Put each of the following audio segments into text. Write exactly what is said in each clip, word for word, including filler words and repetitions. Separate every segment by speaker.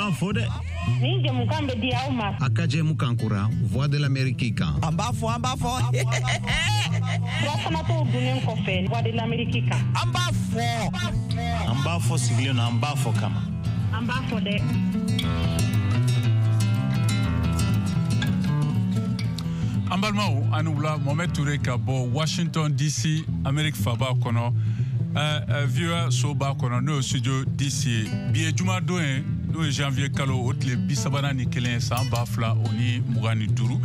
Speaker 1: An b'an fo dɛ.
Speaker 2: Nin jɛmukan bɛ di aw ma.
Speaker 3: A ka jɛmukan kura Voix de l'Amérique kan.
Speaker 4: An b'a fɔ, an b'a fɔ.
Speaker 2: Furafanatɔw dunnen kɔfɛ Voix de l'Amérique kan.
Speaker 4: An b'a fɔ.
Speaker 1: An b'a fɔ sigilen don, an b'a fɔ kama.
Speaker 2: An b'a fɔ dɛ.
Speaker 5: An balimaw, ani wula. Mohamed Touré ka bɔ Washington D C, Amérique faba kɔnɔ, V O A soba kɔnɔ, n'o ye studio D C ye. Bi ye jumadon ye, n'o ye janvier kalo o tile bi sabanan ni kelen san ba fila o ni mugan ni duuru.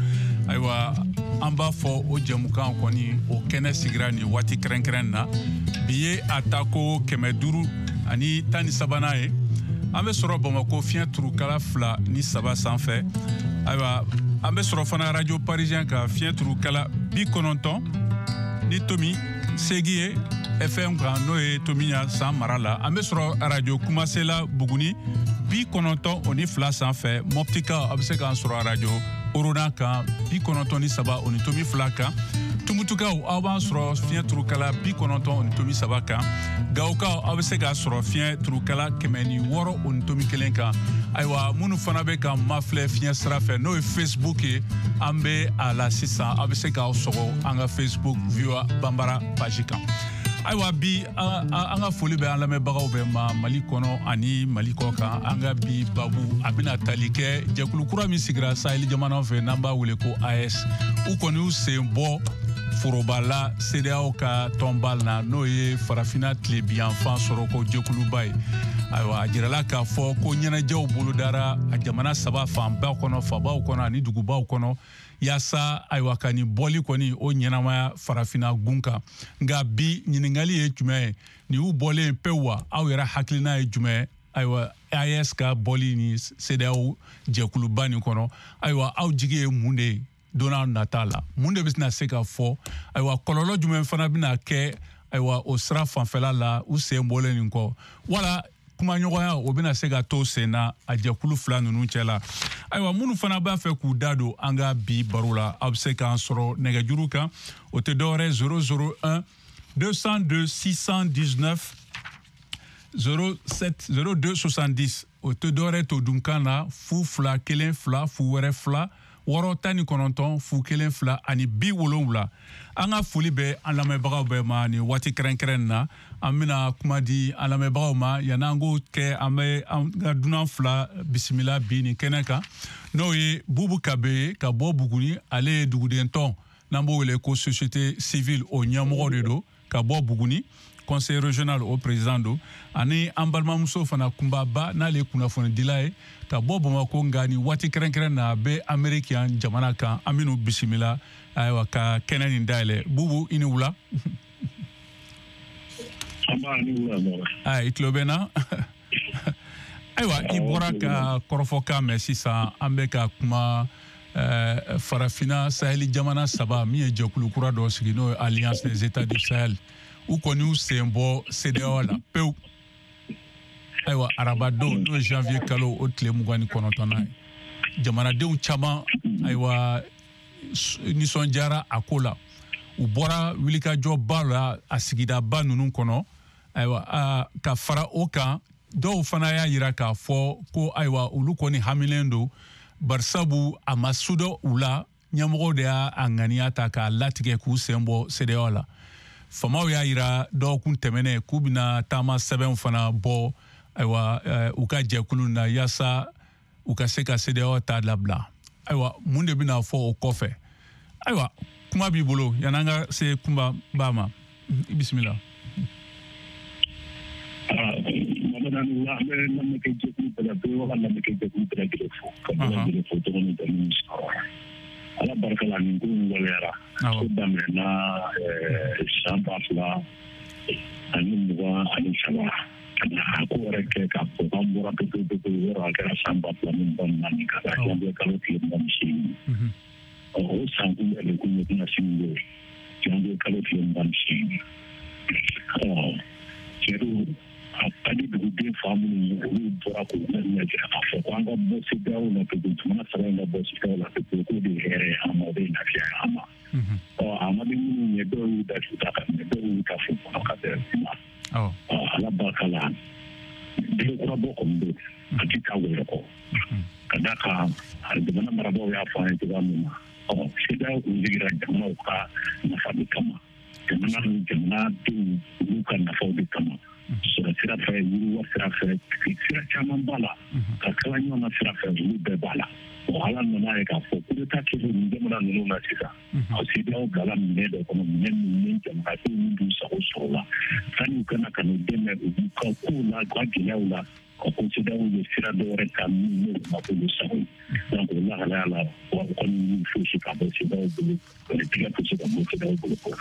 Speaker 5: Ayiwa, an b'a fɔ o jɛmukan kɔni o kɛnɛ sigira nin waati kɛrɛnkɛrɛn na. Bi ye a tako kɛmɛ duuru ani tan ni sabanan ye. An bɛ sɔrɔ Bamakɔ fiɲɛ turukala fila ni saba sanfɛ. Ayiwa, an bɛ sɔrɔ fana Radio Parisien ka fiɲɛ turukala bi kɔnɔntɔn ni tomi seegin ye F M kan, n'o ye Tomiɲa san mara la. An bɛ sɔrɔ Radio Kumasela Buguni bi kɔnɔntɔn o ni fila sanfɛ. Moptika, a bɛ se k'an sɔrɔ Radio Orona kan bi kɔnɔntɔn ni saba o ni tomi fila kan. Tumutukaw, aw b'an sɔrɔ fiɲɛ turukala bi kɔnɔntɔn o ni tomi saba kan. Gawokaw, aw bɛ se k'a sɔrɔ fiɲɛ turukala kɛmɛ ni wɔɔrɔ o ni tomi kelen kan. Ayiwa, minnu fana bɛ ka mafilɛ fiɲɛ sira fɛ, n'o ye Facebook ye, an bɛ a la sisan. Aw bɛ se k'aw sɔgɔ an ka Facebook V O A Banbara page kan. Ayiwa, bi an ka foli bɛ an lamɛnbagaw bɛɛ ma Mali kɔnɔ ani Mali kɔ kan. An ka bi babu a bɛna tali kɛ jɛkulu kura min sigira Sahel jamanaw fɛ, n'an b'a wele ko A E S. U kɔni y'u sen bɔ foroba la CEDEAO ka tɔnba la, n'o ye farafinna tilebinyanfan sɔrɔko jɛkuluba ye. Ayiwa, a jirala k'a fɔ ko ɲɛnajɛw bolodara a jamana saba fanba kɔnɔ, fabaw kɔnɔ ani dugubaw kɔnɔ, yaasa ayiwa ka nin bɔli kɔni o ɲɛnamaya farafinna gun kan. Nka bi ɲininkali ye jumɛn ye? Nin y'u bɔlen pewu wa? Aw yɛrɛ hakilina ye jumɛn ye? Ayiwa, A E S ka bɔli ni CEDEAO jɛkuluba nin kɔnɔ, ayiwa, aw jigi ye mun de ye don n'a nata la? Mun de bɛna se ka fɔ? Ayiwa, kɔlɔlɔ jumɛn fana bɛna kɛ ayiwa o sira fanfɛla la u sen bɔlen nin kɔ? Wala kumaɲɔgɔnya o bɛna se ka to sen na a jɛkulu fila ninnu cɛ la? Ayiwa, minnu fana b'a fɛ k'u da don an ka bi baro la, aw bɛ se k'an sɔrɔ nɛgɛjuru kan. O tɛ dɔwɛrɛ zéro zéro un deux cent deux six cent dix-neuf zéro sept zéro deux soixante-dix. O tɛ dɔwɛrɛ to dunkan na fu fila kelen fila fu wɛrɛ fila wɔɔrɔ tan ni kɔnɔntɔn fu kelen fila ani bi wolonwula. An ka foli bɛ an lamɛnbagaw bɛɛ ma nin waati kɛrɛnkɛrɛn na. An bɛna kuma di an lamɛnbagaw ma. Yanni an k'o kɛ, an bɛ an ka dunan fila bisimila bi nin kɛnɛ kan, n'o ye Bubu Kabe ye ka bɔ Buguni. Ale ye duguden tɔn n'an b'o wele ko société civile o ɲɛmɔgɔ de don ka bɔ Buguni, conseil régional o président don. Ani an balimamuso fana Kunbaba, n'ale ye kunnafonidila ye ka bɔ Bamakɔ, nka nin waati kɛrɛnkɛrɛn na a bɛ Amérique yan jamana kan. An bɛn'u bisimila ayiwa ka kɛnɛ nin dayɛlɛ. Bubu, i ni wula. Ayi, i tulo bɛ n na? Ayiwa, i bɔra ka kɔrɔfɔkan mɛn sisan. An bɛ ka kuma farafinna Sahel jamana saba min ye jɛkulu kura dɔ sigi, n'o ye Alliance des États du Sahel. U kɔni y'u sen bɔ CEDEAO la pewu. Ayiwa, arabadon, n'o ye janvier kalo o tile mugan ni kɔnɔntɔnnan ye, jamanadenw caman ayiwa nisɔndiyara a ko la. U bɔra wulikajɔba la a sigidaba ninnu kɔnɔ. Ayiwa, ka fara o kan, dɔw fana y'a yira k'a fɔ ko ayiwa olu kɔni hamilen don, barisabu a ma sudɔ u la. Ɲɛmɔgɔw de y'a ŋaniya ta k'a latigɛ k'u sen bɔ CEDEAO la. Famaw y'a yira dɔgɔkun tɛmɛnen k'u bɛna taama sɛbɛnw fana bɔ ayiwa u ka jɛkulu na, yaasa u ka se ka CEDEAO ta labila. Ayiwa, mun de bɛna fɔ o kɔfɛ? Ayiwa, kuma b'i bolo yan'an ka se kunba ba ma. I bisimila.
Speaker 6: An bɛ lamɛnkɛ jɛkulu bɛɛ la, bɛɛ ka lamɛnkɛ jɛkulu bɛɛ lajɛlen fo ka bɛɛ lajɛlen fo tɔgɔ ni jamu ni sɔrɔ. Ala barika la, nin ko in waleyara. Ko daminɛna san ba fila ani mugan ani saba ka na a ko yɛrɛ kɛ k'a fɔ k'an bɔra pewu pewu pewu yɔrɔ, a kɛra san ba fila ni mugan ni naani ka taa janvier kalo tile mugan ni seegin. Ɔ, o san kun yɛrɛ kun ye tɛna sini don janvier kalo tile mugan ni seegin. Ɔ, cɛ don, a ka di duguden fa minnu ye, olu bɔra k'u ɲɛ jira k'a fɔ ko an ka bɔ CEDEAO la pewu, jamana saba in ka bɔ CEDEAO la pewu, k'o de ye hɛrɛ ye an ma, o de ye lafiya ye an ma. Ɔ, a ma di minnu ye, dɔw y'u da su ta ka minɛ, dɔw y'u ta fo kɔnɔ ka bɛn kuma. Ɔ, Ala barika la, den kura bɔ kɔni don. A ti taa wɛrɛ kɔ. Ka d'a kan jamana marabaaw y'a fɔ an ye cogoya min na, ɔ CEDEAO kun sigira jamanaw ka nafa de kama, jamana ni jamanadenw olu ka nafaw de kama. Sɔrɔ sira fɛ, yiriwa sira fɛ, sira caman b'a la, ka kala ɲɔgɔn na sira fɛ, olu bɛɛ b'a la. Ɔ ala nana ye k'a fɔ coup d'État kɛlen nin jamana ninnu na sisan, a CEDEAO bilala minɛ dɔ kɔnɔ, minɛ min ni jamanadenw min b'u sago sɔrɔ la, sanni u kana ka n'u dɛmɛ u ka kow la, u ka gɛlɛyaw la, ka ko CEDEAO ye sira dɔ wɛrɛ ta min n'o ma k'olu sago ye. Donc o lahalaya la, wa u kɔni y'u fosi ka bɔ CEDEAO bolo, o tigɛ fosi ka bɔ CEDEAO bolo kɔrɔ.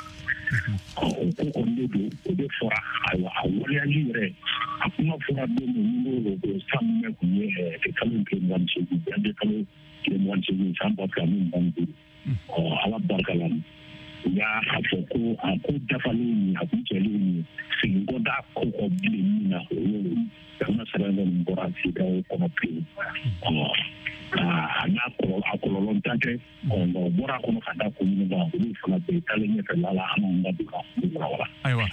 Speaker 6: Ɔ o ko kɔni de don, o de fɔra. Ayiwa, a waleyali yɛrɛ, a kuma fɔra don min n'o ko san min kun ye kalo tile mugan ni seegin, janvier kalo tile mugan ni seegin san ba fila ni mugan ni duuru. Ɔ ala barika la, u y'a fɔ ko a ko dafalen nin, a kuncɛlen nin, segin kɔ t'a ko kɔ bilen min na, o y'o jamana saba in kɔni bɔra CEDEAO kɔnɔ pewu. Ɔ a n'a kɔlɔlɔ, a kɔlɔlɔ tan tɛ, ɔ nka o bɔra a kɔnɔ ka da kun minnu kan, olu fana bɛ taalen ɲɛfɛ la la, an b'an da don ka walawala.
Speaker 5: Ayiwa,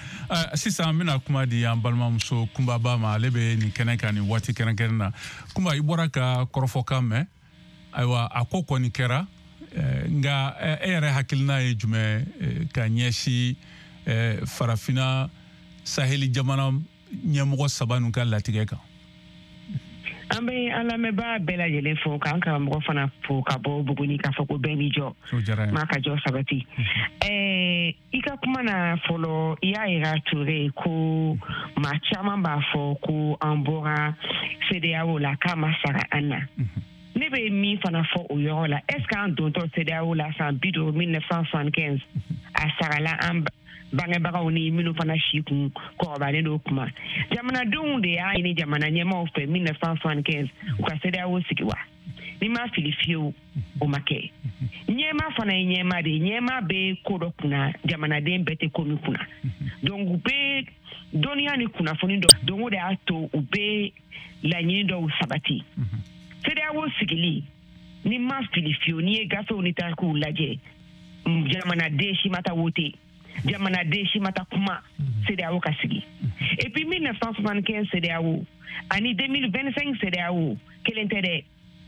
Speaker 5: sisan an bɛna kuma di an balimamuso Kunbaba ma, ale bɛ nin kɛnɛ kan nin waati kɛrɛnkɛrɛn na. Kunba, i bɔra ka kɔrɔfɔkan mɛn. Ayiwa, a ko kɔni kɛra, nka e yɛrɛ hakilina ye jumɛn ka ɲɛsin farafinna saheli jamana ɲɛmɔgɔ saba ninnu ka latigɛ kan?
Speaker 4: An bɛ an lamɛnbaa bɛɛ lajɛlen fo, k'an karamɔgɔ fana fo ka bɔ Buguni, k'a fɔ ko bɛɛ n'i jɔ, maa ka jɔ sabati. Ɛɛ i ka kuma na fɔlɔ, i y'a yira Ture ko maa caman b'a fɔ ko an bɔra CEDEAO la k'a ma sara an na. Ne bɛ min fana fɔ o yɔrɔ la, est ce que an dontɔ CEDEAO la san bi duuru mille neuf cent soixante-quinze, a sarala an bangebagaw ni minnu fana si kun kɔrɔbalen don kuma? Jamanadenw de y'a ɲini jamana ɲɛmaaw fɛ mille neuf cent soixante-quinze u ka CEDEAO sigi wa? N'i ma fili fiyewu, o ma kɛ. Ɲɛmaa fana ye ɲɛmaa de ye, ɲɛmaa bɛ ko dɔ kunna, jamanaden bɛɛ tɛ ko min kunna. Donc u bɛ dɔnniya ni kunnafoni dɔ, donc o de y'a to u bɛ laɲini dɔw sabati. CEDEAO sigili, ni ma fili fiyewu, n'i ye gafew ni tarikuw lajɛ, jamanaden si ma taa wote, jamanaden si ma taa kuma CEDEAO ka sigi. Et puis mille neuf cent soixante-quinze CEDEAO ani deux mille vingt-cinq CEDEAO kelen tɛ dɛ,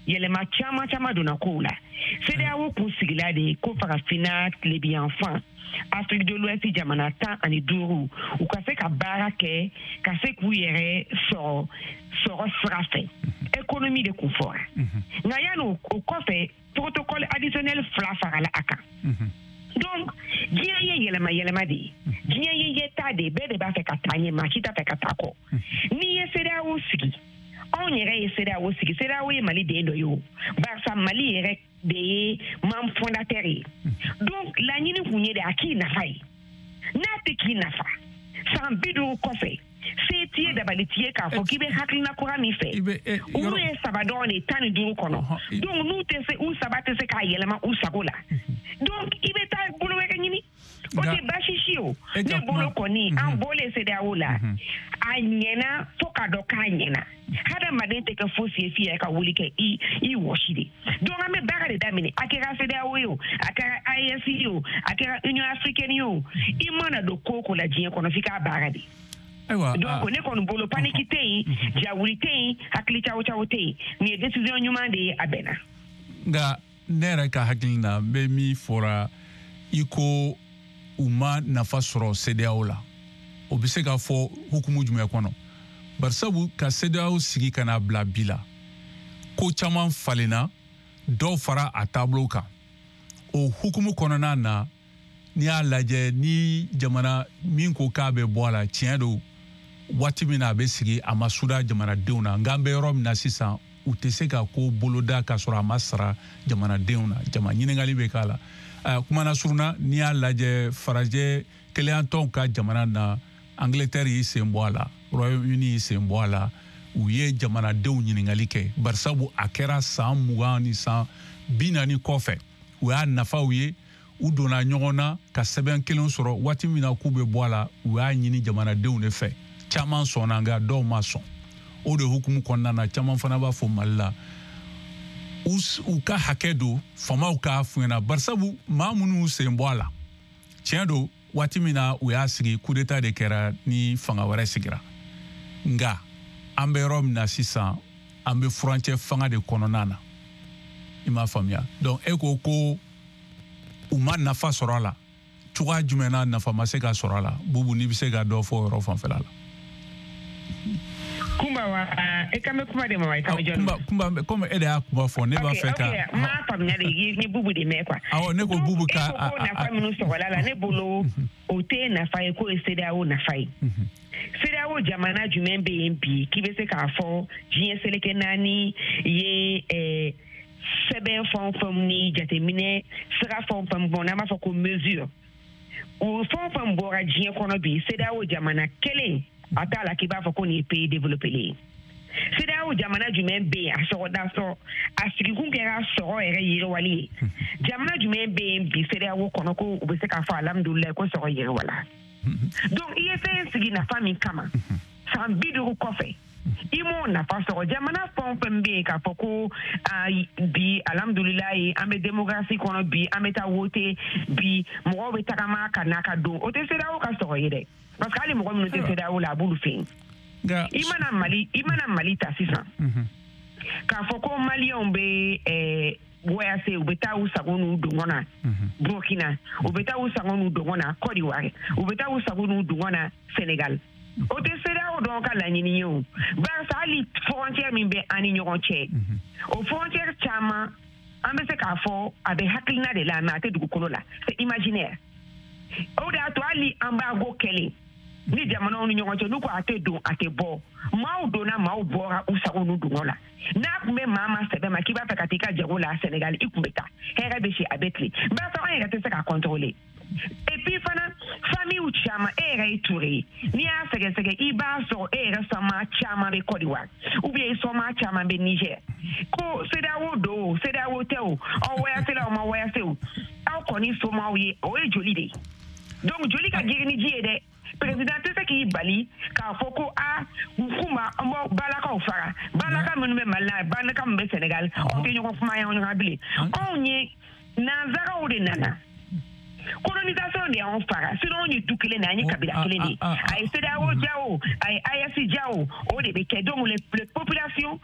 Speaker 4: yɛlɛma caman caman donna kow la. CEDEAO kun sigila de ko farafinna tilebiyanfan, Afrique de l'Ouest jamana tan ani duuru, u ka se ka baara kɛ, ka se k'u yɛrɛ sɔrɔ sɔrɔ sira fɛ. Économie de kun fɔra. Nka yanni o kɔfɛ, protocole additionnel fila farala a kan. Donc diɲɛ ye yɛlɛma yɛlɛma de ye, diɲɛ ye ɲɛtaa de ye, bɛɛ de b'a fɛ ka taa ɲɛ, maa si t'a fɛ ka taa kɔ. N'i ye CEDEAO sigi, anw yɛrɛ ye CEDEAO sigi, CEDEAO ye Mali den dɔ ye o, barisa Mali yɛrɛ de ye membre fondateur ye. Donc laɲini kun ye de a k'i nafa ye, n'a tɛ k'i nafa san bi duuru kɔfɛ, se t'i ye, dabali t'i ye k'a fɔ k'i bɛ hakilina kura min fɛ, olu ye saba dɔrɔn de tan ni duuru kɔnɔ. Donc n'u tɛ se, u saba tɛ se k'a yɛlɛma u sago la, donc i bɛ taa bolo wɛrɛ ɲini. O tɛ baasi si o. Ne bolo kɔni, an bɔlen CEDEAO la, a ɲɛna fo k'a dɔn k'a ɲɛna. Hadamaden tɛ kɛ fosi ye f'i yɛrɛ ka wuli kɛ i i wɔsi de. Donc an bɛ baara de daminɛ, a kɛra CEDEAO ye o, a kɛra A E S ye o, a kɛra Union africaine ye o, i mana don ko o ko la diɲɛ kɔnɔ f'i k'a baara de. Donc ne kɔni bolo paniki tɛ yen, jawuli tɛ yen, hakili cawo cawo tɛ yen. Nin ye décision ɲuman de ye, a bɛnna.
Speaker 5: Nka ne yɛrɛ ka hakili la, n bɛ min fɔra, i ko u ma nafa sɔrɔ CEDEAO la, o bɛ se ka fɔ hukumu jumɛn kɔnɔ? Barisabu ka CEDEAO sigi ka n'a bila bi la, ko caman falenna, dɔw fara a taabolo kan. O hukumu kɔnɔna na, n'i y'a lajɛ, ni jamana min ko k'a bɛ bɔ a la, tiɲɛ don, waati min na a bɛ sigi, a ma suda jamanadenw na. Nka an bɛ yɔrɔ min na sisan, u tɛ se ka ko boloda k'a sɔrɔ a ma sara jamanadenw na. Jama ɲininkali bɛ k'a la. Kumana surunna, n'i y'a lajɛ farajɛ keleyantɔnw ka jamana na, Angleterre y'i sen bɔ a la, Royaume-Uni y'i sen bɔ a la, u ye jamanadenw ɲininkali kɛ. Barisabu a kɛra san mugan ni san bi naani kɔfɛ, u y'a nafaw ye, u donna ɲɔgɔn na ka sɛbɛn kelen sɔrɔ. Waati min na k'u bɛ bɔ a la, u y'a ɲini jamanadenw de fɛ. Caman sɔnna, nka dɔw ma sɔn. O de hukumu kɔnɔna na, caman fana b'a fɔ Mali la, u ka hakɛ don faamaw k'a f'u ɲɛna. Barisabu maa minnu sen bɔ a la, tiɲɛ don, waati min na u y'a sigi, coup d'état de kɛra ni fanga wɛrɛ sigira. Nka an bɛ yɔrɔ min na sisan, An bɛ furancɛ fanga de kɔnɔna na. I m'a faamuya. Donc e ko ko u ma nafa sɔrɔ a la. Cogoya jumɛn na nafa ma se ka sɔrɔ a la? Bubu, n'i bɛ se ka dɔ fɔ o yɔrɔ fanfɛla la.
Speaker 4: Kumba wa e kan bɛ kuma de ma wa i kan bɛ jɔn ma?
Speaker 5: Kumba kumba comme e de y'a kuma fɔ ne b'a fɛ ka.
Speaker 4: Ok ok n m'a faamuya de n ye Bubu de mɛn quoi.
Speaker 5: Awɔ ne ko Bubu ka.
Speaker 4: E ko ko nafa minnu sɔrɔla la ne bolo o tɛ nafa ye k'o ye CEDEAO nafa ye. CEDEAO jamana jumɛn bɛ yen bi k'i bɛ se k'a fɔ diɲɛ seleke naani ye ɛɛ sɛbɛn fɛn o fɛn ni jateminɛ sira fɛn o fɛn bɔ n'an b'a fɔ ko mesure o fɛn o fɛn bɔra diɲɛ kɔnɔ bi CEDEAO jamana kelen a t'a la k'i b'a fɔ ko nin ye pays développé ye. CEDEAO jamana jumɛn bɛ yen a sɔrɔda sɔrɔ a sigikun kɛra sɔrɔ yɛrɛ yiriwali ye. Jamana jumɛn bɛ yen bi CEDEAO kɔnɔ ko u bɛ se k'a fɔ alhamdulilayi ko sɔrɔ yiriwala. Donc i ye fɛn sigi nafa min kama san bi duuru kɔfɛ i m'o nafa sɔrɔ. Jamana fɛn o fɛn bɛ yen k'a fɔ ko bi alhamdulilayi an bɛ démocratie kɔnɔ bi an bɛ taa wote bi mɔgɔw bɛ tagama ka na ka don o tɛ CEDEAO ka sɔrɔ ye dɛ. Parce que hali mɔgɔ minnu tɛ CEDEAO la a b'olu fɛ yen. I mana Mali i mana Mali ta sisan k'a fɔ ko maliyɛnw bɛ ɛɛ voyage u bɛ taa u sago n'u dungɔ na Burkina, u bɛ taa u sago n'u dungɔ na Côte d'Ivoire, u bɛ taa u sago n'u dungɔ na Sénégal. O tɛ CEDEAO dɔrɔn ka laɲini ye o. Barisa hali frontière min bɛ an ni ɲɔgɔn cɛ o frontière caman an bɛ se k'a fɔ a bɛ hakilina de la mais a tɛ dugukolo la, c'est imaginaire. O de y'a to hali embargo kɛlen ni jamanaw ni ɲɔgɔn cɛ n'u ko a tɛ don a tɛ bɔ maaw donna maaw bɔra u sago n'u dungɔ la. N'a tun bɛ maa ma sɛbɛ ma k'i b'a fɛ ka t'i ka jago la Sénégal i tun bɛ taa hɛrɛ bɛ si a bɛ tile barisa an yɛrɛ tɛ se k'a contrôler. Et puis fana famille caman e yɛrɛ ye Touré ye n'i y'a sɛgɛsɛgɛ i b'a sɔrɔ e yɛrɛ sɔmaa caman bɛ Côte d'Ivoire ou bien i sɔmaa caman bɛ Niger. Ko CEDEAO don o CEDEAO tɛ o aw voyage la o ma voyage o aw kɔni somaaw ye o ye joli de ye. Donc joli ka girin ni ji ye dɛ. Président tɛ se k'i bali k'a fɔ ko a kuma an b'aw balakaw fara balaka minnu bɛ Mali la balaka minnu bɛ Sénégal aw tɛ ɲɔgɔn kuma ɲɔgɔn bilen. Anw ye nanzaraw de nana colonisation de y'anw fara sinon anw ye du kelen de ye an ye kabila kelen de ye. A ye CEDEAO ja o a ye A E S ja o o de bɛ kɛ. Donc les populations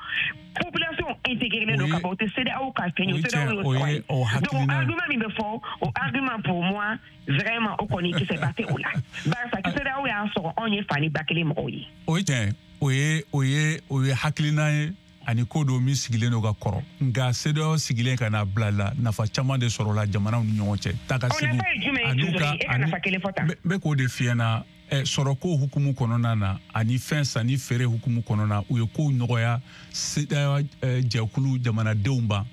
Speaker 4: population intégrée don ka ban o tɛ CEDEAO ka fɛn ye o CEDEAO y'o sɔrɔ ye. Donc argument min bɛ fɔ o argument pour moi vraiment o kɔni kisɛba tɛ o la barisa CEDEAO y'a sɔrɔ anw ye fa ni ba kelen mɔgɔw ye.
Speaker 5: O ye tiɲɛ o ye o ye o ye hakilina ye ani ko dɔ min sigilen don ka kɔrɔ nka CEDEAO sigilen ka na bila la nafa caman de sɔrɔla jamanaw ni ɲɔgɔn cɛ taa ka segin
Speaker 4: ani ka
Speaker 5: n bɛ k'o de f'i ɲɛna sɔrɔko hukumu kɔnɔna na ani fɛn sanni feere hukumu kɔnɔna u ye kow nɔgɔya CEDEAO jɛkulu jamanadenw ma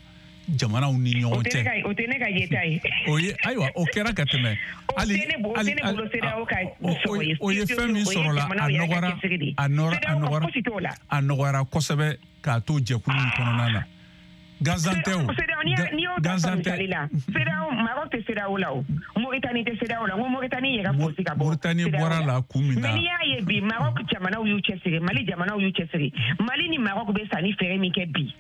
Speaker 5: jamanaw ni ɲɔgɔn cɛ.
Speaker 4: O tɛ ne ka yeta ye.
Speaker 5: O ye ayiwa o kɛra ka tɛmɛ.
Speaker 4: Hali hali ne bolo CEDEAO ka sɔrɔ ye.
Speaker 5: O ye fɛn min sɔrɔla a nɔgɔyara a nɔgɔyara a nɔgɔyara kosɛbɛ k'a to jɛkulu in kɔnɔna na. Gansan tɛ o.
Speaker 4: N'i y'o ta misali la CEDEAO Maroc tɛ CEDEAO la o Mauritanie tɛ CEDEAO la n ko Mauritanie yɛrɛ fosi ka bɔ.
Speaker 5: Mauritanie bɔra la kun min na.
Speaker 4: Mais n'i y'a ye bi Maroc jamanaw y'u cɛsiri Mali jamanaw y'u cɛsiri Mali ni Maroc bɛ sanni feere min kɛ bi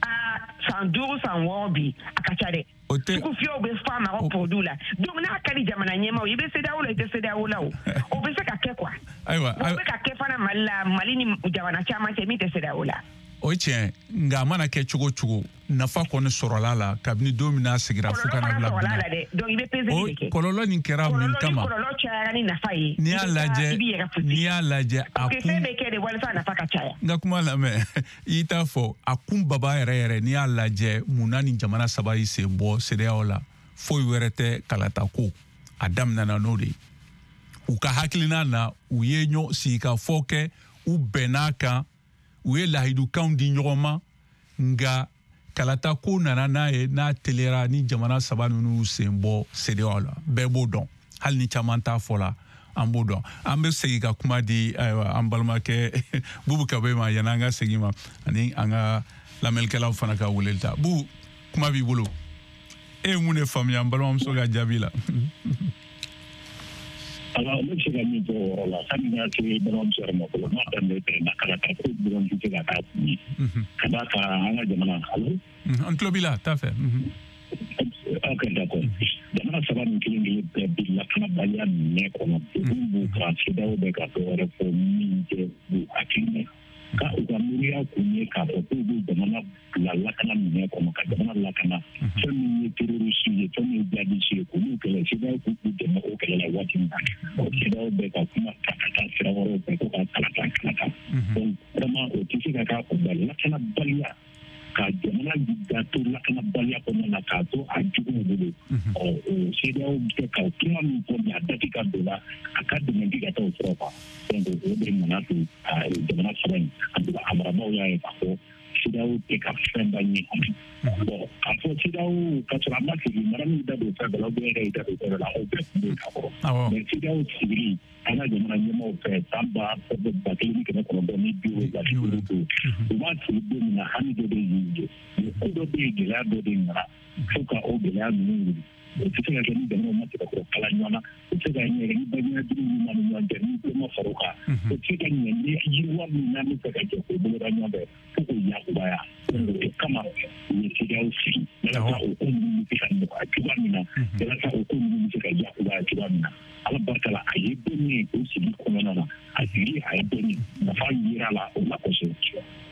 Speaker 4: aa san duuru san wɔɔrɔ bi a ka ca dɛ. Sugu fiyɛw bɛ fa Maroc produit la donc n'a ka di jamana ɲɛmaaw ye i bɛ CEDEAO la i tɛ CEDEAO la o o bɛ se ka kɛ quoi.
Speaker 5: Ayiwa
Speaker 4: o bɛ ka kɛ fana Mali la Mali ni jamana caman cɛ min tɛ CEDEAO la.
Speaker 5: O ye tiɲɛ nka a mana kɛ cogo o cogo nafa kɔni sɔrɔla la kabini don min n'a sigira fo ka na bila bi la.
Speaker 4: Donc i bɛ peseli de kɛ.
Speaker 5: Kɔlɔlɔ nin kɛra mun kama?
Speaker 4: Kɔlɔlɔ cayara ni nafa ye.
Speaker 5: N'i y'a lajɛ n'i y'a lajɛ a kun.
Speaker 4: Fɛn bɛ kɛ de walasa nafa ka caya.
Speaker 5: N ka kuma lamɛn i t'a fɔ a kun baba yɛrɛ yɛrɛ n'i y'a lajɛ mun na nin jamana saba y'i sen bɔ CEDEAO la foyi wɛrɛ tɛ kalata ko a daminɛna n'o de ye. U ka hakilina na u ye ɲɔ sigikafɔ kɛ u bɛnn'a kan. U ye lahidukanw di ɲɔgɔn ma nka kalata ko nana n'a ye n'a teliyara ni jamana saba ninnu sen bɔ CEDEAO la bɛɛ b'o dɔn hali ni caman t'a fɔ la an b'o dɔn. An bɛ segin ka kuma di ayiwa an balimakɛ Bubu Kabe ma yanni an ka segin ma ani an ka lamɛnnikɛlaw fana ka weleli ta. Bubu kuma b'i bolo e ye mun de faamuya an balimamuso ka jaabi la?
Speaker 6: Alors, ne bɛ se ka min fɔ o yɔrɔ la sani n ka se balimamuso yɛrɛ ma fɔlɔ n'a daminɛ tɛmɛna kalata ko dɔrɔn tɛ se ka k'a kun ye ka d'a kan an ka jamana alo.
Speaker 5: An tulo b'i la t'a fɛ.
Speaker 6: Ok d'accord jamana saba nin kelen kelen bɛɛ bɛ lakanabaliya minɛ kɔnɔ degun b'u kan CEDEAO bɛ ka dɔ wɛrɛ fɔ min tɛ u hakilina ye. Ka u ka miiriya kun ye k'a fɔ k'u bɛ jamana bila lakana minɛ kɔnɔ ka jamana lakana fɛn min ye terroriste ye fɛn min ye jihadiste ye k'olu kɛlɛ CEDEAO k'u dɛmɛ o kɛlɛ la waati min na o CEDEAO bɛ ka kuma ta ka taa sira wɛrɛw fɛ ko ka kalata kalata donc vraiment o tɛ se ka k'a kunbali lakanabaliya ka jamana da to lakanabaliya kɔnɔna na k'a to a juguw bolo ɔ o CEDEAO bɛ ka kuma min fɔ nin a dati ka don la a ka dɛmɛ ti ka taa o sira kan donc o de nana to jamana saba in a marabaaw y'a ye k'a fɔ CEDEAO tɛ ka fɛn ba ɲɛ bon k'a fɔ CEDEAO ka sɔrɔ a ma sigi mara min da don fɛn bɛɛ la ou bien yɛrɛ y'i da don fɛn bɛɛ la o bɛɛ tun bɛ ka kɔrɔ mais CEDEAO sigili an ka jamana ɲɛmaaw fɛ san ba ba kelen ni kɛmɛ kɔnɔntɔn ni bi wolonwula ni duuru u b'a sigi don min na hami dɔ de y'u ye mais ko dɔ bɛ yen gɛlɛya dɔ de nana fo ka o gɛlɛya ninnu wuli o tɛ se ka kɛ ni jamanaw ma se ka kɔrɔ kala ɲɔgɔn na o tɛ se ka ɲɛ ni balimaya jugu min b'an ni ɲɔgɔn cɛ ni ko ma fara o kan o tɛ se ka ɲɛ ni yiriwa min n'an bɛ fɛ ka jɛ k'o boloda ɲɔgɔn fɛ fo k'o yakubaya o kama u ye CEDEAO sigi walasa o ko ninnu bɛ se ka nɔgɔya cogoya min na walasa o ko ninnu bɛ se ka yakubaya cogoya min na ala barika la a ye dɔnni ye o sigi kɔnɔna na a sigi a ye dɔnni nafa yera la o la kosɛbɛ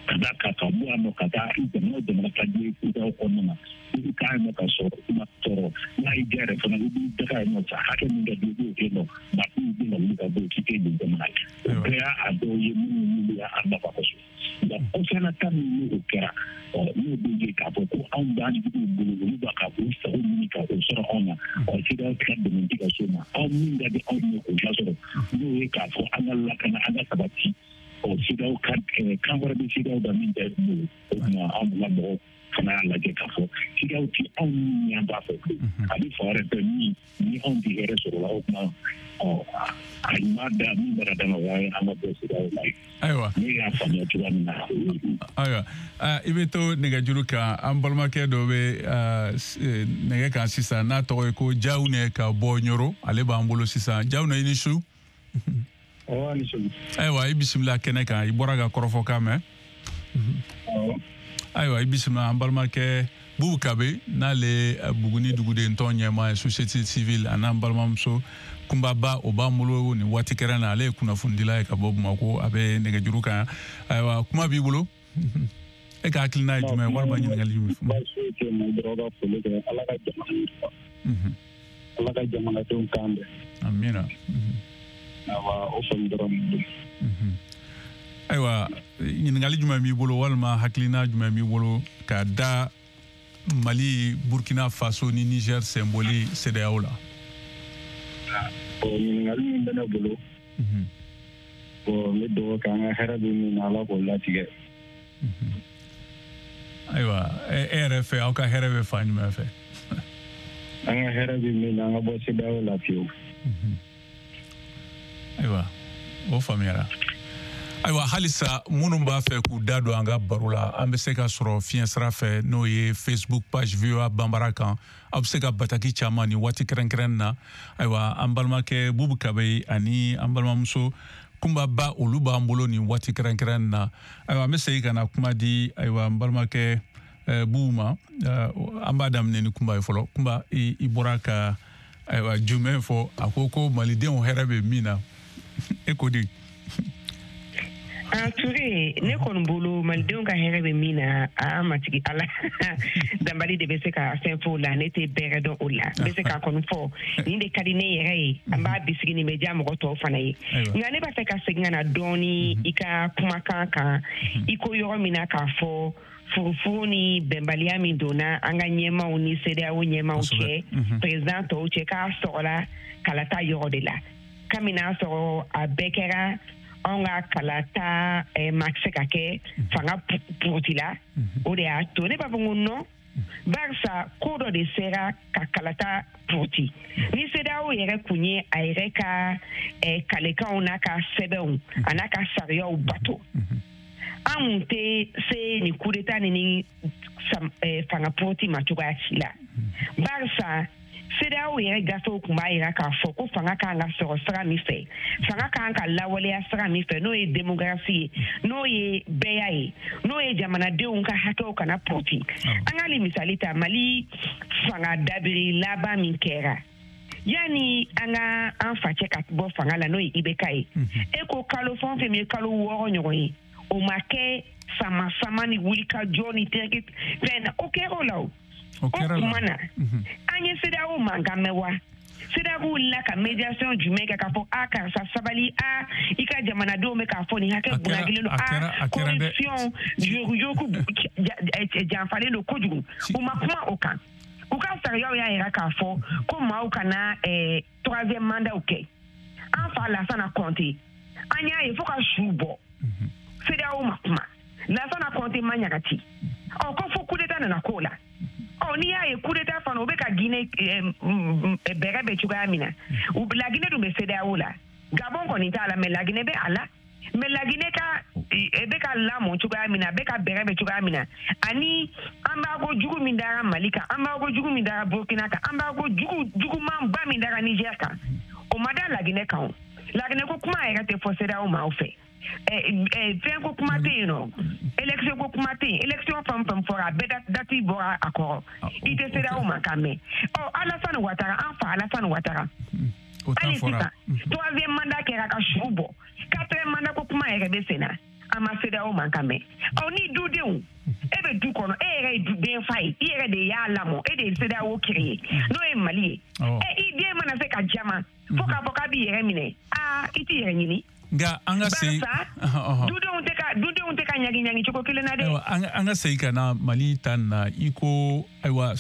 Speaker 6: ka da kan ka bɔ yan nɔ ka taa jamana o jamana ka di ye CEDEAO kɔnɔna na i bɛ taa yen nɔ ka sɔrɔ i ma tɔɔrɔ n'a y'i diya yɛrɛ fana i b'i daga yen nɔ sa hakɛ min ka di i b'o kɛ nɔ maa k'u bɛ na wuli ka bɔ yen k'i tɛ yen jamana ye o bɛɛ y'a dɔw ye minnu n'olu y'a nafa kosɛbɛ nka kɔfɛla min n'o kɛra ɔ n'o bɛ ye k'a fɔ ko anw b'an juguw bolo olu b'a ka k'u sago ɲini ka o sɔrɔ anw na ɔ CEDEAO ka dɛmɛ ti ka s'o ma anw min ka di anw ye k'o lasɔrɔ n'o ye k'a fɔ an ka lakana an ka sabati ɔ CEDEAO ka kan wɛrɛ bɛ CEDEAO da min tɛ bolo o tuma anw ka mɔgɔw fana y'a lajɛ k'a fɔ CEDEAO ti anw min y'an b'a fɛ a bɛ fan wɛrɛ fɛ min ni anw tɛ hɛrɛ sɔrɔ la o tuma ɔ a ɲuman da min bɛ ka d'a ma o y'a ye an ka bɔ CEDEAO la
Speaker 5: ayiwa
Speaker 6: ne y'a faamuya cogoya min na
Speaker 5: ayiwa i bɛ to nɛgɛjuru kan an balimakɛ dɔ bɛ nɛgɛ kan sisan n'a tɔgɔ ye ko Jawune ka bɔ Ɲoro ale b'an bolo sisan Jawune i ni su ayiwa i bisimila kɛnɛ kan i bɔra ka kɔrɔfɔkan mɛn ayiwa i bisimila an balimakɛ Bubu Kabe n'ale Buguni duguden tɔn ɲɛmaa ye société civile a n'an balimamuso Kunbaba o b'an bolo nin waati kɛrɛn na ale ye kunnafonidila ye ka bɔ Bamakɔ a bɛ nɛgɛjuru kan ayiwa kuma b'i bolo e ka hakilina ye jumɛn ye walima ɲininkali jumɛn
Speaker 7: baasi tɛ ma dɔrɔn ka foli kɛ Ala ka jamana yiriwa Ala ka jamanadenw kan bɛn
Speaker 5: amiina
Speaker 7: awa o foli dɔrɔn don
Speaker 5: ayiwa ɲininkali jumɛn b'i bolo walima hakilina jumɛn b'i bolo ka da Mali Burkina Faso ni Niger senboli CEDEAO la
Speaker 7: bon ɲininkali min bɛ ne bolo bon n bɛ dugawu kɛ an ka hɛrɛ bɛ min na Ala k'o latigɛ
Speaker 5: ayiwa e yɛrɛ fɛ aw ka hɛrɛ bɛ fan jumɛn fɛ
Speaker 7: an ka hɛrɛ bɛ min na an ka bɔ CEDEAO la fiyewu
Speaker 5: ayiwa o faamuyara ayiwa halisa minnu b'a fɛ k'u da don an ka baro la an bɛ se ka sɔrɔ fiɲɛ sira fɛ n'o ye Facebook page V O A Banbara kan aw bɛ se ka bataki caman ni waati kɛrɛnkɛrɛn na ayiwa an balimakɛ Bubu Kabe ani an balimamuso Kunbaba olu b'an bolo nin waati kɛrɛnkɛrɛn na ayiwa an bɛ segin ka na kuma di ayiwa an balimakɛ Bubu ma an b'a daminɛ ni Kunba ye fɔlɔ Kunba i, i bɔra ka ayiwa jumɛn fɔ a ko ko malidenw hɛrɛ bɛ min na e ko di
Speaker 4: Ah, Touré, ne kɔni bolo malidenw ka hɛrɛ bɛ min na a matigi Ala danbali de bɛ se ka fɛn fɔ o la ne tɛ bɛrɛ dɔn o la n bɛ se k'a kɔni fɔ nin de ka di ne yɛrɛ ye an b'a bisigi nin bɛ diya mɔgɔ tɔw fana ye nka ne b'a fɛ ka segin ka na dɔɔni i ka kumakan kan i ko yɔrɔ min na k'a fɔ furufuru ni bɛnbaliya min donna an ka ɲɛmaaw ni CEDEAO ɲɛmaaw cɛ président tɔw cɛ k'a sɔrɔla kalata yɔrɔ de la kabini n'a sɔrɔ a bɛɛ kɛra anw ka kalata eh, ma se ka kɛ fanga puruti la o de y'a to ne b'a fɔ ko non barisa ko dɔ de sera ka kalata puruti ni CEDEAO yɛrɛ kun ye a yɛrɛ ka eh, kalekanw n'a ka sɛbɛnw a n'a ka sariyaw bato an kun tɛ se nin coup d'état ni ni fanga puruti ma cogoya si la barisa CEDEAO yɛrɛ gafew kun b'a yira k'a fɔ ko fanga kan ka sɔrɔ sira min fɛ fanga kan ka lawaleya sira min fɛ n'o ye démocratie ye n'o ye bɛɛya ye n'o ye jamanadenw ka hakɛw kana puruti an k'ale misali ta Mali fanga dabiri laban min kɛra yanni an ka an facɛ ka bɔ fanga la n'o ye I B K ye e ko kalo fɛn o fɛn min ye kalo wɔɔrɔ ɲɔgɔn ye O ma kɛ sama sama ni wulikajɔ ni tereke fɛn na, o kɛra o la o.
Speaker 5: O kɛra la.
Speaker 4: O tuma na an ye CEDEAO mankan mɛn wa? CEDEAO wulila ka médiation jumɛn kɛ k'a fɔ a karisa sabali, a i ka jamanadenw bɛ k'a fɔ nin hakɛ bunakelen don, a corruption yuruguyurugu janfalen don kojugu. U ma kuma o kan. U ka sariyaw y'a yira k'a fɔ ko maaw kana troisième mandat kɛ. An fa Lassana Conté, an y'a ye fo ka su bɔ. CEDEAO ma kuma. Lassana Conté ma ɲagati. Ɔ ko fo coup d'état nana k'o la. Ɔ n'i y'a ye coup d'état fana o bɛ ka Guinée bɛrɛ bɛ cogoya min na, la Guinée dun bɛ CEDEAO la. Gabon kɔni t'a la, mais la Guinée bɛ a la. Mais la Guinée ka bɛ ka lamɔ cogoya min na, a bɛ ka bɛrɛ bɛ cogoya min na, ani embargo jugu min dara Mali kan, embargo jugu min dara Burkina kan, embargo jugu jugumanba min dara Niger kan, o ma da la Guinée kan o. La Guinée ko kuma yɛrɛ tɛ fɔ CEDEAO maaw fɛ. Fɛn ko kuma tɛ yen nɔ, élection ko kuma tɛ yen, élection fɛn fɛn fɔra a bɛɛ date bɔra a kɔrɔ, i tɛ CEDEAO man kan mɛn. Ɔ Alassane Ouattara, an fa Alassane Ouattara, hali sisan troisième mandat kɛra ka su bɔ, quatrième mandat ko kuma yɛrɛ bɛ sen na, an ma CEDEAO man kan mɛn. Ɔ ni dudenw, e bɛ du kɔnɔ, e yɛrɛ ye den fa ye, i yɛrɛ de y'a lamɔ, e de ye CEDEAO créé, n'o ye Mali ye. E i den mana se ka jama fo k'a fɔ k'a b'i yɛrɛ minɛ, aa i t'i yɛrɛ ɲini.
Speaker 5: Nka an ka segin,
Speaker 4: dudenw tɛ ka dudenw tɛ ka ɲagi ɲagi cogo kelen na dɛ.
Speaker 5: Ayiwa, an ka segin ka na Mali ta nin na, i ko ayiwa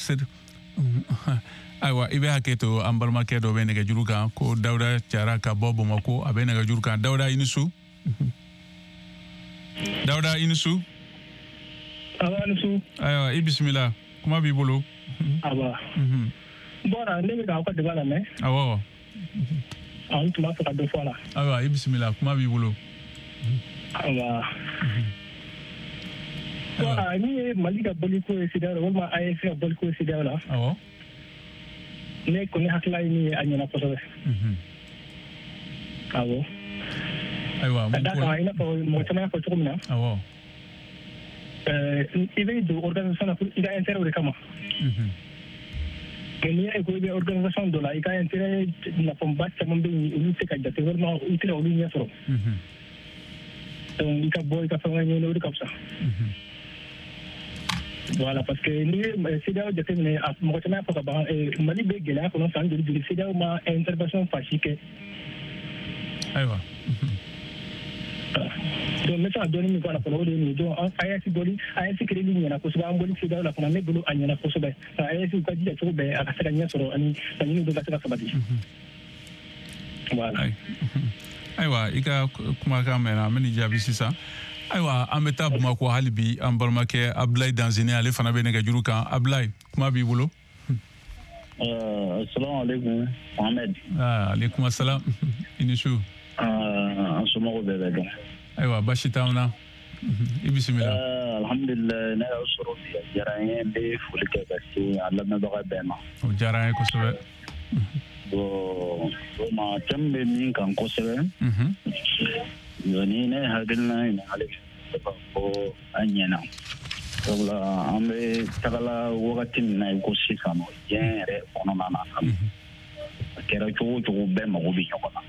Speaker 5: ayiwa i bɛ hakɛ to, an balimakɛ dɔ bɛ nɛgɛjuru kan ko Dawuda Jara ka bɔ Bamakɔ, a bɛ nɛgɛjuru kan. Dawuda, i ni su. Dawuda, i ni su.
Speaker 8: Awa, i ni su.
Speaker 5: Ayiwa, i bisimila, kuma b'i bolo.
Speaker 8: Awa. Bɔra ne bɛ k'aw ka débat lamɛn.
Speaker 5: Awɔ.
Speaker 8: An tun b'a fɛ ka dɔ fɔ a la.
Speaker 5: Ayiwa, i bisimila, kuma b'i bolo.
Speaker 8: Awa. Bɔra ni ye Mali ka bɔliko ye CEDEAO la walima A E S ka bɔliko ye CEDEAO la.
Speaker 5: Awɔ.
Speaker 8: Ne kɔni hakilila ye min ye, a ɲɛna kosɛbɛ. Awɔ.
Speaker 5: Ayiwa,
Speaker 8: ka d'a kan i n'a fɔ mɔgɔ caman y'a fɔ cogo min na.
Speaker 5: Awɔ.
Speaker 8: I bɛ don organisation na i ka intérêt de kama. Mais n'i y'a ye ko i bɛ organisation dɔ la, i ka intérêt nafaba caman bɛ yen, olu tɛ ka jate walima i tɛ ka olu ɲɛ sɔrɔ. Donc i ka bɔ i ka fɛn wɛrɛ ɲini, o de ka fisa. Voilà, parce que n'i ye CEDEAO jateminɛ, a mɔgɔ caman y'a fɔ ka ban, Mali bɛ gɛlɛya kɔnɔ san joli joli, CEDEAO ma intervention fan si kɛ.
Speaker 5: Ayiwa.
Speaker 8: Donc n bɛ se ka dɔɔnin min fɔ a la fɔlɔ, o de ye nin ye. Donc A E S bɔli, A E S créeli ɲɛna kosɛbɛ, an bɔli CEDEAO la fana, ne bolo a ɲɛna kosɛbɛ. A E S u ka jija cogo bɛɛ a ka se ka ɲɛ sɔrɔ ani laɲiniw bɛɛ ka se ka sabati. Voilà.
Speaker 5: Ayiwa, i ka kumakan mɛnna, an bɛ nin jaabi sisan. Ayiwa, an bɛ taa Bamakɔ hali bi, an balimakɛ Abulayi Danzini, ale fana bɛ nɛgɛjuru kan. Abulayi, kuma b'i bolo.
Speaker 7: Asalamu aleykum Mohamed.
Speaker 5: Aleykum assalam. I ni su.
Speaker 7: An somɔgɔw bɛɛ bɛ dɔn.
Speaker 5: Ayiwa, baasi t'anw na. I bisimila.
Speaker 7: Alhamdulilayi, ne y'aw sɔrɔ bi, a diyara n ye, n bɛ foli kɛ ka se an lamɛnbaga bɛɛ ma.
Speaker 5: O diyara an ye kosɛbɛ.
Speaker 7: Bon, vraiment thème bɛ min kan kosɛbɛ. Ni ne hakilina ɲininkali kɛ k'a fɔ an ɲɛna. Sabula an bɛ tagala wagati min na i ko sisan nɔ, diɲɛ yɛrɛ kɔnɔna na, a kɛra cogo o cogo bɛɛ mago bɛ ɲɔgɔn na.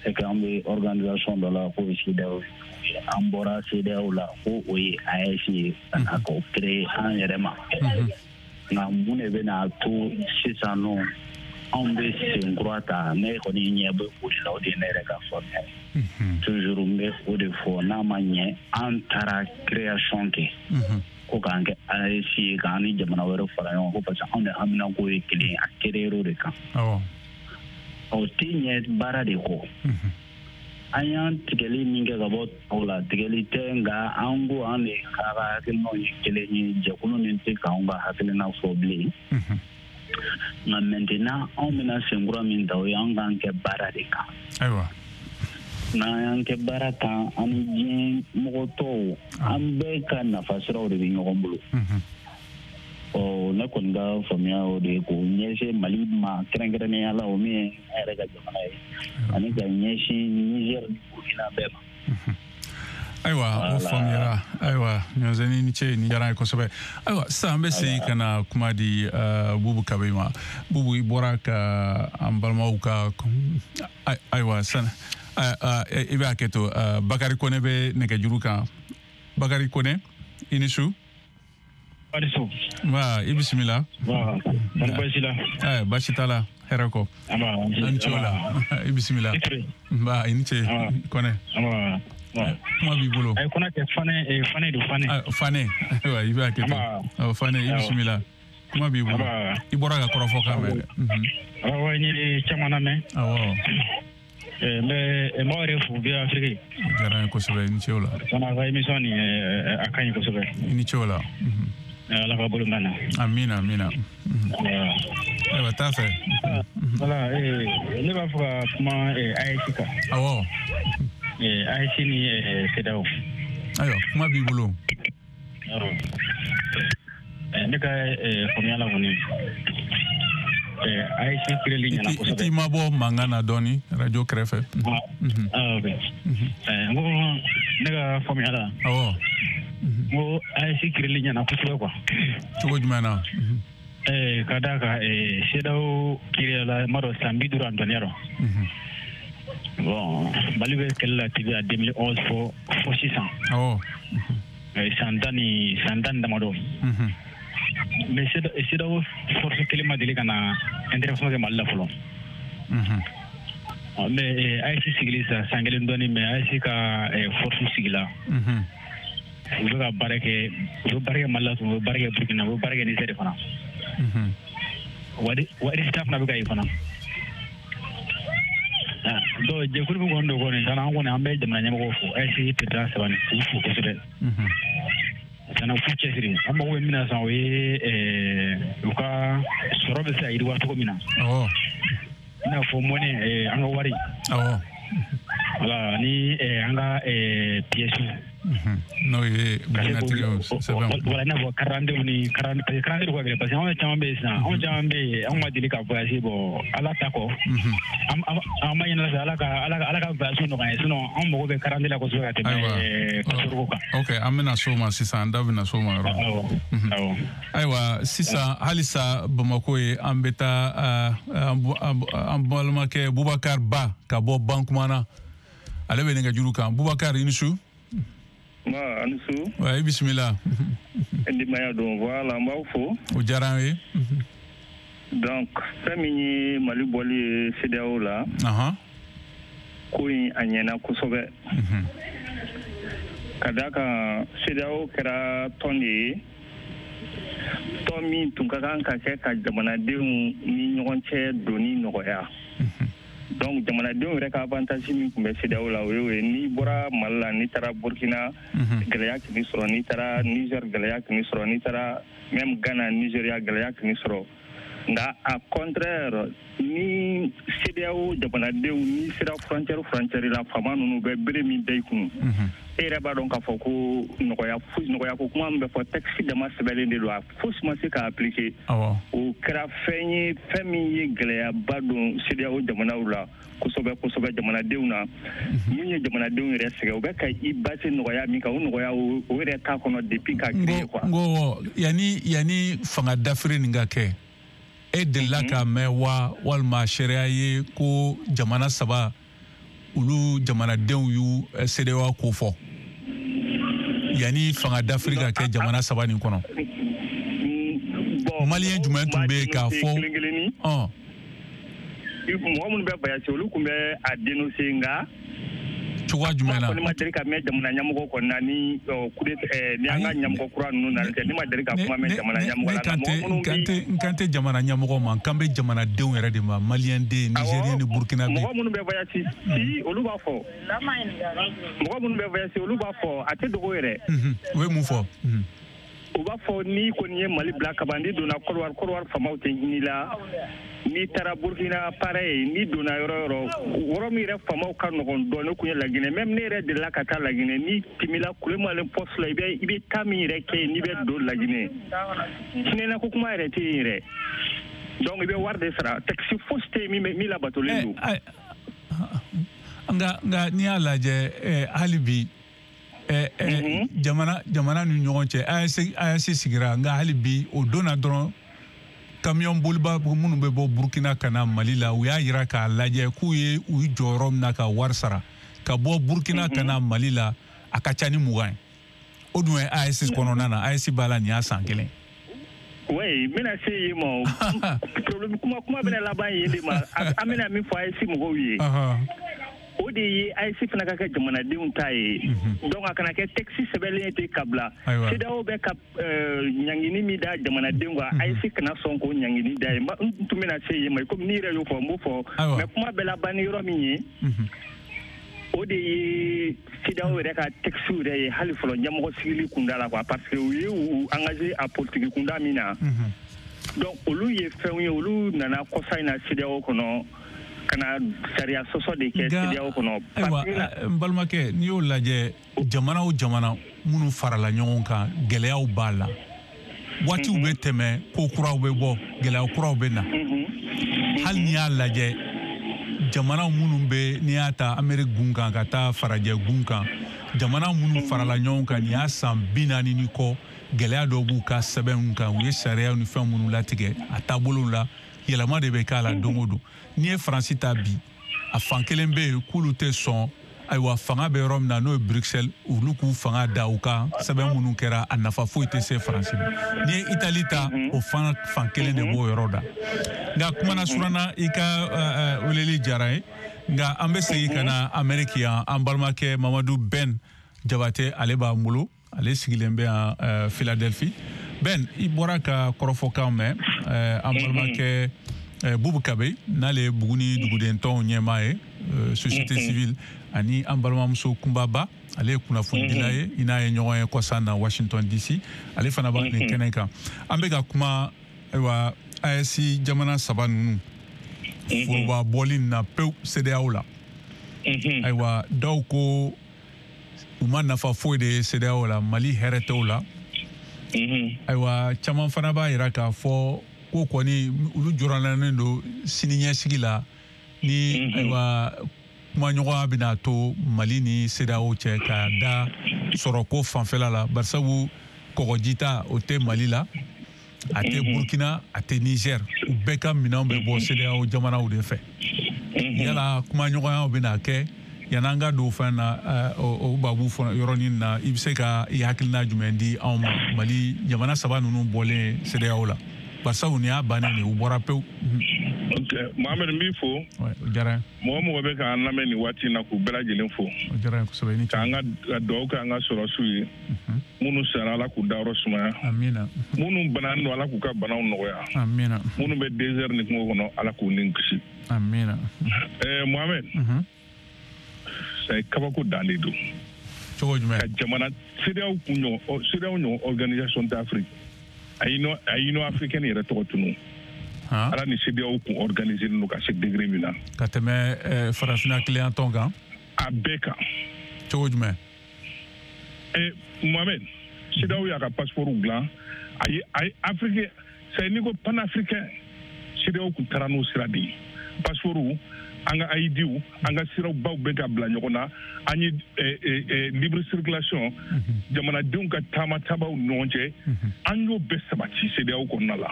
Speaker 7: C'est que an bɛ organisation dɔ la k'o ye CEDEAO ye, an bɔra CEDEAO la ko o ye A E S ye ka na k'o créer an yɛrɛ ma. Nka mun de bɛna to sisan nɔ anw bɛ sen kura ta, ne kɔni ɲɛ bɛ o de la, o de ye ne yɛrɛ ka faamuya ye. Toujours n bɛ o de fɔ, n'a ma ɲɛ an taara création kɛ ko k'an kɛ A E S ye, k'an ni jamana wɛrɛ fara ɲɔgɔn kan, ko parce que anw de haminanko ye kelen ye, a créer o de kan. O tɛ ɲɛ baara de kɔ. An y'an tigɛli min kɛ ka bɔ tɔw la, tigɛli tɛ, nka an ko an de ka hakilinaw ye kelen ye, jɛkulu nin tɛ k'anw ka hakilina fɔ bilen. Nka maintenant anw bɛna senkura min ta, o ye an k'an kɛ baara de kan.
Speaker 5: Ayiwa.
Speaker 7: N'an y'an kɛ baara kan, an ni diɲɛ mɔgɔ tɔw, an bɛɛ ka nafa siraw de bɛ ɲɔgɔn bolo. Ɔ ne kɔni ka faamuya o de ye k'o ɲɛsin Mali ma kɛrɛnkɛrɛnnenya la, o min ye an yɛrɛ ka jamana ye, ani ka ɲɛsin Niger ni Burkina bɛɛ ma.
Speaker 5: Ayiwa, o faamuyara. Ayiwa, Ɲɔzɛni, ni ce, ni diyara n ye kosɛbɛ. Ayiwa, sisan an bɛ segin ka na kuma di Bubu Kabe ma. Bubu, i bɔra ka an balimaw ka, ayiwa, san i bɛ hakɛ to, Bakari Kone bɛ nɛgɛjuru kan. Bakari Kone, i ni su. Nba, i bisimila.
Speaker 9: Baasi la.
Speaker 5: Baasi t'a la, hɛrɛ kɔ. An ni ce o la. I bisimila. Nba, i ni ce Kone. Kuma b'i bolo.
Speaker 9: Ayi, Kone tɛ, Fane, Fane don, Fane.
Speaker 5: Fane, ayiwa, i bɛ hakɛ to. Fane, i bisimila. Kuma b'i bolo. I bɔra ka kɔrɔfɔ kan mɛn dɛ.
Speaker 9: Awɔ, n ye caman lamɛn.
Speaker 5: Awɔ.
Speaker 9: N bɛ n b'aw yɛrɛ fo V O A Afrique.
Speaker 5: O diyara n ye kosɛbɛ, i ni ce o la.
Speaker 9: Fana ka émission nin, a ka ɲi kosɛbɛ.
Speaker 5: I ni ce o la.
Speaker 9: Ala ka bolo mɛn na.
Speaker 5: Amina, amina. Ayiwa, taa fɛ.
Speaker 9: Voilà, ne b'a fɛ ka kuma A E S kan.
Speaker 5: Awɔ.
Speaker 9: A E S ni CEDEAO.
Speaker 5: Ayiwa, kuma b'i bolo.
Speaker 9: Ne ka faamuya la kɔni, A E S créeli ɲɛna kosɛbɛ.
Speaker 5: I t'i mabɔ mankan na dɔɔni radio kɛrɛfɛ.
Speaker 9: Ah, ok. N ko ne ka faamuya la.
Speaker 5: Awɔ.
Speaker 9: N ko A E S créeli ɲɛna kosɛbɛ quoi.
Speaker 5: Cogo jumɛn na?
Speaker 9: Ka d'a kan CEDEAO créera la, n b'a dɔn san bi duuru ani dɔɔnin yɔrɔ. Bon, Mali bɛ kɛlɛ la T V A deux mille onze fo fo sisan.
Speaker 5: Awɔ.
Speaker 9: San tan ni san tan ni damadɔ. Mais CEDEAO force kelen ma deli ka na intervention kɛ Mali la fɔlɔ. Mais A E S sigili sisan san kelen dɔɔnin, mais A E S ka force sigila. U bɛ ka baara kɛ, u bɛ baara kɛ Mali la, u bɛ baara kɛ Burkina, u bɛ baara kɛ Niger de fana. Wa résultat fana bɛ ka ye fana. Donc jɛkulu min kɔni don kɔni, sanni an kɔni an bɛ jamana ɲɛmɔgɔw fo, A E S président saba nin k'u fo kosɛbɛ. Sanni k'u cɛsiri, an mago bɛ min na sisan, o ye u ka sɔrɔ bɛ se ka yiriwa cogo min na. I n'a fɔ monnaie, an ka wari. Voilà, ni an ka pièces.
Speaker 5: N'o ye bugunnatigɛw sɛbɛnw.
Speaker 9: Voilà, i n'a fɔ karandenw ni parce que karanden ka gɛlɛn, parce que anw caman bɛ yen sisan, anw caman bɛ yen, anw ma deli ka voyager, bon Ala ta kɔ. An b'a ɲini Ala fɛ, Ala ka Ala ka Ala ka voyage nɔgɔya ye, sinon anw mago bɛ karanden la kosɛbɛ ka tɛmɛ passeport kan.
Speaker 5: Ok, an bɛna s'o ma sisan, an da bɛna s'o ma yɔrɔ.
Speaker 9: Awɔ.
Speaker 5: Ayiwa, sisan halisa Bamakɔ ye, an bɛ taa an balimakɛ Bubakar Ba ka bɔ Bankumana, ale bɛ nɛgɛjuru kan. Bubakar, i ni su.
Speaker 10: Nba, ani su.
Speaker 5: Wa, i bisimila.
Speaker 10: Denbaya don, voilà, n b'aw fo.
Speaker 5: O diyara an ye.
Speaker 10: Donc fɛn min ye Mali bɔli ye CEDEAO la.
Speaker 5: Ahan.
Speaker 10: Ko in a ɲɛna kosɛbɛ. Ka d'a kan CEDEAO kɛra tɔn de ye, tɔn min tun ka kan ka kɛ ka jamanadenw ni ɲɔgɔn cɛ donni nɔgɔya. Donc jamanadenw yɛrɛ ka avantage min tun bɛ CEDEAO la, o ye o ye. N'i bɔra Mali la, n'i taara Burkina, gɛlɛya k'i sɔrɔ, n'i taara Niger, gɛlɛya k'i sɔrɔ, n'i taara même Ghana, Nigeria, gɛlɛya k'i sɔrɔ. Nka a contraire, ni CEDEAO jamanadenw n'i sera frontière frontière la, faama ninnu bɛ bere min da i kun, e yɛrɛ b'a dɔn k'a fɔ ko nɔgɔya foyi, nɔgɔya ko kuma min bɛ fɔ, texte dama sɛbɛnlen de don, a fosi ma se k'a appliquer. O kɛra fɛn ye, fɛn min ye gɛlɛyaba don CEDEAO jamanaw la kosɛbɛ kosɛbɛ, jamanadenw na. Min ye jamanadenw yɛrɛ sɛgɛn, u bɛ ka i base nɔgɔya min kan, o nɔgɔya o yɛrɛ t'a kɔnɔ depuis k'a créer quoi.
Speaker 5: N ko yanni yanni fanga dafiri nin ka kɛ, e delila k'a mɛn wa, walima sariya ye ko jamana saba olu jamanadenw y'u CEDEAO ko fɔ yanni fanga dafiri ka kɛ jamana saba nin kɔnɔ? Maliyɛn jumɛn tun bɛ yen k'a fɔ?
Speaker 10: Mɔgɔ minnu bɛ voyage, olu tun bɛ a dénoncer, nka
Speaker 5: cogoya jumɛn na?
Speaker 10: Ne ma deli ka mɛn jamana ɲɛmɔgɔ kɔni na ni ni an ka ɲɛmɔgɔ kura ninnu na tɛ, ne ma deli ka kuma mɛn jamana ɲɛmɔgɔ la.
Speaker 5: N kan tɛ jamana ɲɛmɔgɔ ma, n kan bɛ jamanadenw yɛrɛ de ma, maliyɛn den, nigérien ni burkinabé.
Speaker 10: Mɔgɔ minnu bɛ voyage, si olu b'a fɔ, mɔgɔ minnu bɛ voyage olu b'a fɔ, a tɛ dogo yɛrɛ.
Speaker 5: U bɛ mun fɔ?
Speaker 10: U b'a fɔ n'i kɔni ye Mali bila kaban, n'i donna Côte d'Ivoire, Côte d'Ivoire faamaw tɛ hinɛ i la. N'i taara Burkina pareil, n'i donna yɔrɔ yɔrɔ, yɔrɔ min yɛrɛ faamaw ka nɔgɔn dɔɔnin kun ye Laginɛ. Même ne yɛrɛ delila ka taa Laginɛ, n'i tɛmɛna Kulemalen poste la, i bɛ i bɛ taa min yɛrɛ kɛ yen, n'i bɛ don Laginɛ, hinɛna ko kuma yɛrɛ tɛ yen yɛrɛ. Donc i bɛ wari de sara, taxi fosi tɛ yen min min labatolen don.
Speaker 5: Nka nka n'i y'a lajɛ, hali bi Ɛ ɛ jamana jamana ni ɲɔgɔn cɛ A E S A E S sigira, nka hali bi o don na dɔrɔn camion boliba minnu bɛ bɔ Burkina ka na Mali la, u y'a yira k'a lajɛ k'u ye u jɔyɔrɔ min na ka wari sara ka bɔ Burkina ka na Mali la, a ka ca ni mugan ye. O dun ye A E S kɔnɔna na, A E S b'a la nin y'a san kelen.
Speaker 10: Oui, n bɛna se yen ma, problème kuma kuma bɛna laban yen de ma. An bɛna min fɔ A E S mɔgɔw ye, o de ye A E S fana ka kɛ jamanadenw ta ye. Donc a kana kɛ texte sɛbɛnlen ye ten ka bila. CEDEAO bɛ ka ɲangini min da jamanadenw kan, A E S kana sɔn k'o ɲangini da ye. N tun bɛna se yen ma, komi n'i yɛrɛ y'o fɔ, n b'o fɔ. Mais kuma bɛɛ laban ni yɔrɔ min ye, o de ye CEDEAO yɛrɛ ka texte yɛrɛ ye hali fɔlɔ ɲɛmɔgɔ sigili kunda la quoi, parce que u ye u engagé a politique kunda min na. Donc olu ye fɛnw ye, olu nana kɔsa in na CEDEAO kɔnɔ ka na sariya sɔsɔ de kɛ CEDEAO kɔnɔ.
Speaker 5: Ayiwa, n balimakɛ, n'i y'o lajɛ, jamana o jamana minnu farala ɲɔgɔn kan, gɛlɛyaw b'a la. Waatiw bɛ tɛmɛ, ko kuraw bɛ bɔ, gɛlɛya kuraw bɛ na. Hali n'i y'a lajɛ, jamana minnu bɛ, n'i y'a ta Amérique gun kan ka taa farajɛ gun kan, jamana minnu farala ɲɔgɔn kan nin y'a san bi naani ni kɔ, gɛlɛya dɔw b'u ka sɛbɛnw kan, u ye sariyaw ni fɛn minnu latigɛ a taabolow la, yɛlɛma de bɛ k'a la don o don. N'i ye Faransi ta bi, a fan kelen bɛ yen k'olu tɛ sɔn, ayiwa fanga bɛ yɔrɔ min na n'o ye Bruxelles, olu k'u fanga da u kan, sɛbɛn minnu kɛra a nafa foyi tɛ se Faransi ma. N'i ye Itali ta, o fana fan kelen de b'o yɔrɔ da. Nka kumana suranna, i ka weleli diyara n ye, nka an bɛ segin ka na Amérique yan. An balimakɛ Mamadu Ben Jabate, ale b'an bolo, ale sigilen bɛ yan Philadelphie. Ben, i bɔra ka kɔrɔfɔkan mɛn, an balimakɛ Bubu Kabe, n'ale ye Buguni duguden tɔnw ɲɛmaa ye, société civile, ani an balimamuso Kunbaba, ale ye kunnafonidila ye, i n'a ye ɲɔgɔn ye kɔsan na Washington D C, ale fana b'a nin kɛnɛ kan. An bɛ ka kuma ayiwa A E S jamana saba ninnu foroba bɔli na pewu CEDEAO la. Ayiwa, dɔw ko u ma nafa foyi de ye CEDEAO la, Mali hɛrɛ t'o la. Ayiwa, caman fana b'a yira k'a fɔ ko kɔni olu jɔrɔnalen don siniɲɛsigi la, ni ayiwa kumaɲɔgɔnya bɛna to Mali ni CEDEAO cɛ ka da sɔrɔko fanfɛla la, barisabu kɔgɔji ta o tɛ Mali la, a tɛ Burkina, a tɛ Niger, u bɛɛ ka minɛnw bɛ bɔ CEDEAO jamanaw de fɛ. Yala kumaɲɔgɔnyaw bɛna kɛ yan'an ka don fɛn na, o babu yɔrɔnin na, i bɛ se ka i hakilina jumɛn di anw ma Mali jamana saba ninnu bɔlen CEDEAO la, barisabu nin y'a bannen de ye, u bɔra pewu.
Speaker 11: Ok, Mohamed, n b'i fo.
Speaker 5: O diyara n
Speaker 11: ye. Mɔgɔ mɔgɔ bɛ k'an lamɛn nin waati in na, k'u bɛɛ lajɛlen fo.
Speaker 5: O diyara n ye kosɛbɛ. Ni
Speaker 11: k'an ka dugawu kɛ an ka sɔrɔsiw ye. Minnu sara, Ala k'u dayɔrɔ sumaya.
Speaker 5: Amina.
Speaker 11: Minnu bananen don, Ala k'u ka banaw nɔgɔya.
Speaker 5: Amina.
Speaker 11: Minnu bɛ désert ni kungo kɔnɔ, Ala k'u ni kisi.
Speaker 5: Amina.
Speaker 11: Ɛɛ Mohamed, c'est kabako dan de don.
Speaker 5: Cogo jumɛn?
Speaker 11: Ka jamana CEDEAO kun ɲɔgɔn, CEDEAO ɲɔgɔn organisation d'Afrique, a Union africaine yɛrɛ tɔgɔ tunu. Ala ni CEDEAO kun organisé don ka se degré min na.
Speaker 5: Ka tɛmɛ farafinna kiliyan tɔn kan.
Speaker 11: A bɛɛ kan.
Speaker 5: Cogo jumɛn?
Speaker 11: Eh, Mohamed, CEDEAO y'a ka passeport dilan, a ye a ye Afrique, c'est n'i ko panafricain, CEDEAO kun taara n'o sira de ye. Passeport, an ka I Dw, an ka sirabaw bɛ ka bila ɲɔgɔn na, an ye libre circulation, jamanadenw ka taama taabaw ni ɲɔgɔn cɛ, an y'o bɛɛ sabati CEDEAO kɔnɔna la.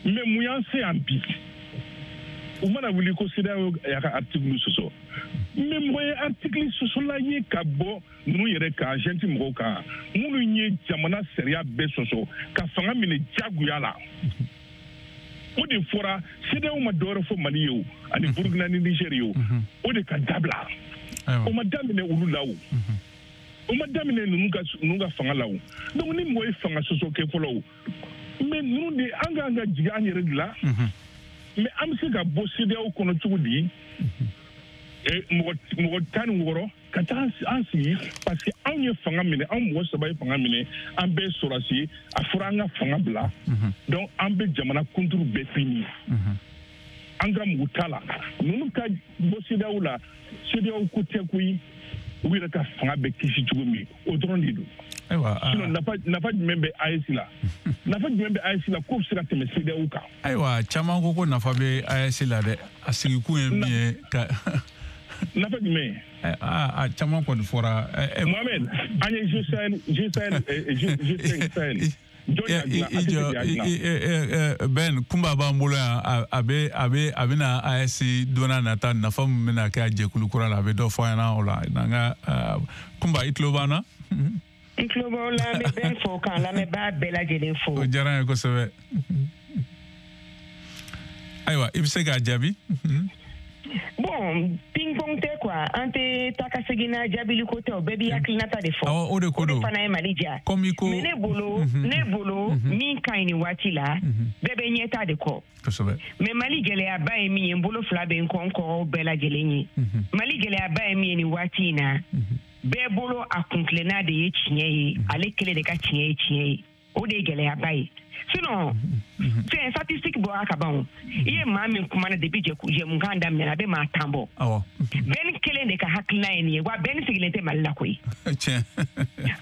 Speaker 11: Mais mun y'an se yan bi? U mana wuli ko CEDEAO y'a ka article sɔsɔ, mais mɔgɔ ye article sɔsɔla ye ka bɔ ninnu yɛrɛ kan, junte mɔgɔw kan, minnu ye jamana sariya bɛɛ sɔsɔ ka fanga minɛ diyagoya la. O de fɔra, CEDEAO ma dɔwɛrɛ fɔ Mali ye o, ani Burkina ni Niger ye o, o de ka dabila. O ma daminɛ olu la o, o ma daminɛ ninnu ka ninnu ka fanga la o. Donc ni mɔgɔ ye fanga sɔsɔ kɛ fɔlɔ o, mais ninnu de an k'an ka jigin an yɛrɛ de la. Mais an bɛ se ka bɔ CEDEAO kɔnɔ cogo di? Mɔgɔ mɔgɔ tan ni wɔɔrɔ ka taa an sigi, parce que anw ye fanga minɛ, anw mɔgɔ saba ye fanga minɛ, an bɛɛ ye sɔrɔdasi ye, a fɔra an ka fanga bila. Donc an bɛ jamana kunturu bɛɛ fini, an ka mugu t'a la. Ninnu ka bɔ CEDEAO la, CEDEAO ko tɛ koyi, u yɛrɛ ka fanga bɛ kisi cogo min, o dɔrɔn de don.
Speaker 5: Ayiwa,
Speaker 11: sinon nafa nafa jumɛn bɛ A E S la? Nafa jumɛn bɛ A E S la k'o bɛ se ka tɛmɛ CEDEAO kan?
Speaker 5: Ayiwa, caman ko ko nafa bɛ A E S la dɛ. A sigikun ye min ye ka
Speaker 11: Nafa jumɛn?
Speaker 5: Aa a caman kɔni fɔra.
Speaker 11: Mohamed, an ye G Sahel G Sahel G cinq Sahel.
Speaker 5: I jɔ Ben, kunba b'an bolo yan, a bɛ a bɛ a bɛna A E S don n'a nata nafa min bɛna kɛ a jɛkulu kura la, a bɛ dɔ fɔ an ɲɛna o la. N'an ka kunba, i tulo b'an na?
Speaker 4: N tulo b'aw la, n bɛ bɛn fo k'an lamɛnbaa bɛɛ lajɛlen fo.
Speaker 5: O diyara n ye kosɛbɛ. Ayiwa, i bɛ se k'a jaabi.
Speaker 4: Bon, ping-pong tɛ quoi, an tɛ taa ka segin na jaabili ko tɛ, o bɛɛ b'i hakilinata de fɔ.
Speaker 5: Awɔ, o de ko don.
Speaker 4: O de fana ye Mali diya.
Speaker 5: Comme i ko.
Speaker 4: Mais ne bolo, ne bolo min ka ɲi nin waati la, bɛɛ bɛ ɲɛta de kɔ.
Speaker 5: Kosɛbɛ.
Speaker 4: Mais Mali gɛlɛyaba ye min ye, n bolo fila bɛ n kɔ, n kɔrɔw bɛɛ lajɛlen ye. Mali gɛlɛyaba ye min ye nin waati in na, bɛɛ bolo a kuntilenna de ye tiɲɛ ye, ale kelen de ka tiɲɛ ye tiɲɛ ye. O de ye gɛlɛyaba ye. Sinon, fɛn statistique bɔra ka ban o. I ye maa min kumana depuis jɛmukan daminɛ, a bɛ maa tan bɔ.
Speaker 5: Awɔ.
Speaker 4: Bɛɛ kelen de ka hakilina ye nin ye, wa bɛɛ sigilen tɛ Mali la koyi.
Speaker 5: Tiɲɛ.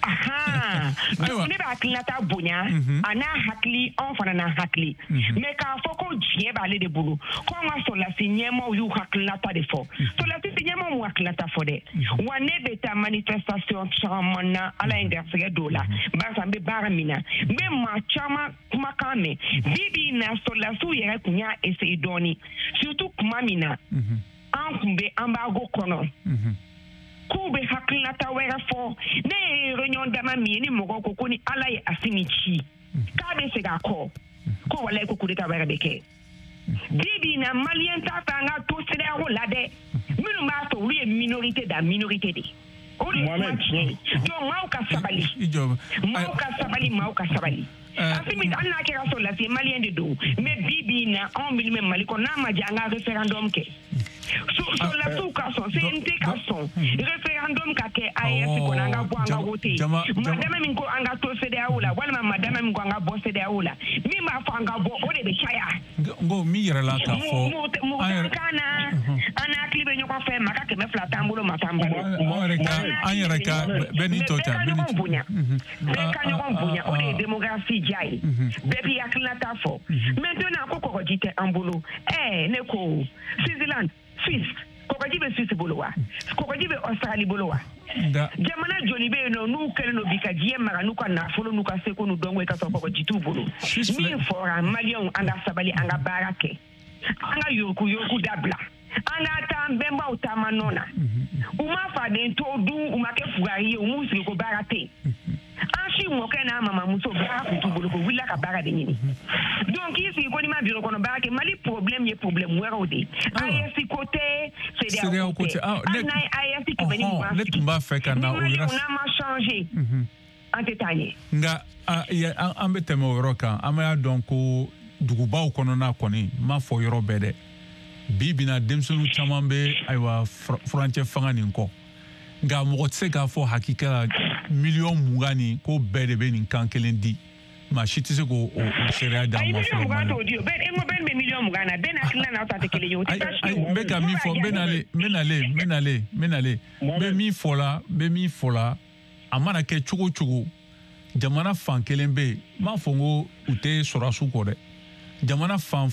Speaker 4: Ahan. Donc ne bɛ hakilinata bonya, a n'a hakili, anw fana n'a hakili. Mais k'a fɔ ko diɲɛ b'ale de bolo, ko an ka sɔrɔdasi ɲɛmaaw y'u hakilinata de fɔ. Sɔrɔdasi ɲɛmaaw m'u hakilinata fɔ dɛ. Wa ne bɛ taa manifestation caman na, Ala ye n garisɛgɛ don o la. Barisa n bɛ baara min na, n bɛ maa caman kumakan mɛn. Bi bi in na, sɔrɔdasiw yɛrɛ tun y'a essayer dɔɔni, surtout kuma min na an tun bɛ embargo kɔnɔ, k'u bɛ hakilinata wɛrɛ fɔ. Ne ye réunion dama min ye, ni mɔgɔw ko ko ni Ala ye Asimi ci k'a bɛ segin a kɔ, ko walayi ko coup d'état wɛrɛ bɛ kɛ. Bi bi in na, maliyɛn t'a fɛ an ka to CEDEAO la dɛ. Minnu b'a fɛ, olu ye minorité da minorité de ye. O de ye kuma tiɲɛ ye. Donc maaw ka sabali, maaw ka sabali, maaw ka sabali. Asimi, hali n'a kɛra sɔrɔdasi ye, maliyɛn de don. Mais bi bi in na, anw minnu bɛ Mali kɔnɔ, n'a ma diya an ka référendum kɛ. Sɔrɔdasiw ka sɔn, C N T ka sɔn, référendum ka kɛ A E S kɔnɔ, an ka bɔ an ka voter. Madame min ko an ka to CEDEAO la, walima madame min ko an ka bɔ CEDEAO la, min b'a fɔ an ka bɔ, o de bɛ caya.
Speaker 5: N ko min yɛrɛ la k'a fɔ.
Speaker 4: Mɔgɔ kan na, an hakili bɛ ɲɔgɔn fɛ, maa ka kɛmɛ fila t'an bolo, maa t'an bolo.
Speaker 5: An yɛrɛ ka bɛɛ n'i tɔ ta.
Speaker 4: Bɛɛ ka ɲɔgɔn bonya, bɛɛ ka ɲɔgɔn bonya, o de ye démocratie diya ye. Bɛɛ b'i hakilinata fɔ. Maintenant ko kɔgɔji tɛ an bolo. Ɛɛ ne ko Switzerland, Suisse, kɔgɔji bɛ Suisse bolo wa? Kɔgɔji bɛ Australie bolo wa? Jamana joli bɛ yen nɔ n'u kɛlen don bi ka diɲɛ mara n'u ka nafolo n'u ka seko n'u dɔnko ye ka sɔrɔ kɔgɔji t'u bolo. Min fɔra, maliyɛnw, an ka sabali, an ka baara kɛ, an ka yuruku yuruku dabila, an ka taa an bɛnbaw taama nɔ na. U ma faden to dun, u ma kɛ fugari ye, u m'u sigi ko baara tɛ yen. An si mɔkɛ n'a mamamuso baara tun t'u bolo, ko wulila ka baara de ɲini. Donc k'i sigi ko n'i ma bureau kɔnɔ baara kɛ, Mali problème ye problème wɛrɛw de ye. A E S ko tɛ, CEDEAO ko tɛ. Hali n'a ye A E S kɛmɛ ni mugan sigi,
Speaker 5: ne tun b'a fɛ ka na o yɔrɔ.
Speaker 4: Ni maliyɛnw n'a ma changer, an tɛ taa ɲɛ.
Speaker 5: Nka an bɛ tɛmɛ o yɔrɔ kan, an b'a dɔn ko dugubaw kɔnɔna kɔni, n m'a fɔ yɔrɔ bɛɛ dɛ. Bi bi in na, denmisɛnnin caman bɛ ayiwa furancɛ fanga nin kɔ. Nka mɔgɔ tɛ se k'a fɔ hakika la miliyɔn mugan nin ko bɛɛ de bɛ nin kan kelen di. Maa si tɛ se k'o o seereya d'an ma fɔlɔ.
Speaker 4: Ayi, miliyɔn mugan t'o di o. Bɛɛ, e ko bɛɛ bɛ miliyɔn mugan na, bɛɛ n'a hakilina n'aw ta tɛ kelen ye, o tɛ baasi ye o.
Speaker 5: N bɛ ka min fɔ, n bɛ nalen, n bɛ nalen, n bɛ nalen, n bɛ nalen. N bɛ min fɔ la, n bɛ min fɔ la, a mana kɛ cogo o cogo, jamana fan kelen bɛ yen, n m'a fɔ n ko u tɛ sɔrɔdasiw kɔ dɛ. Jamana fan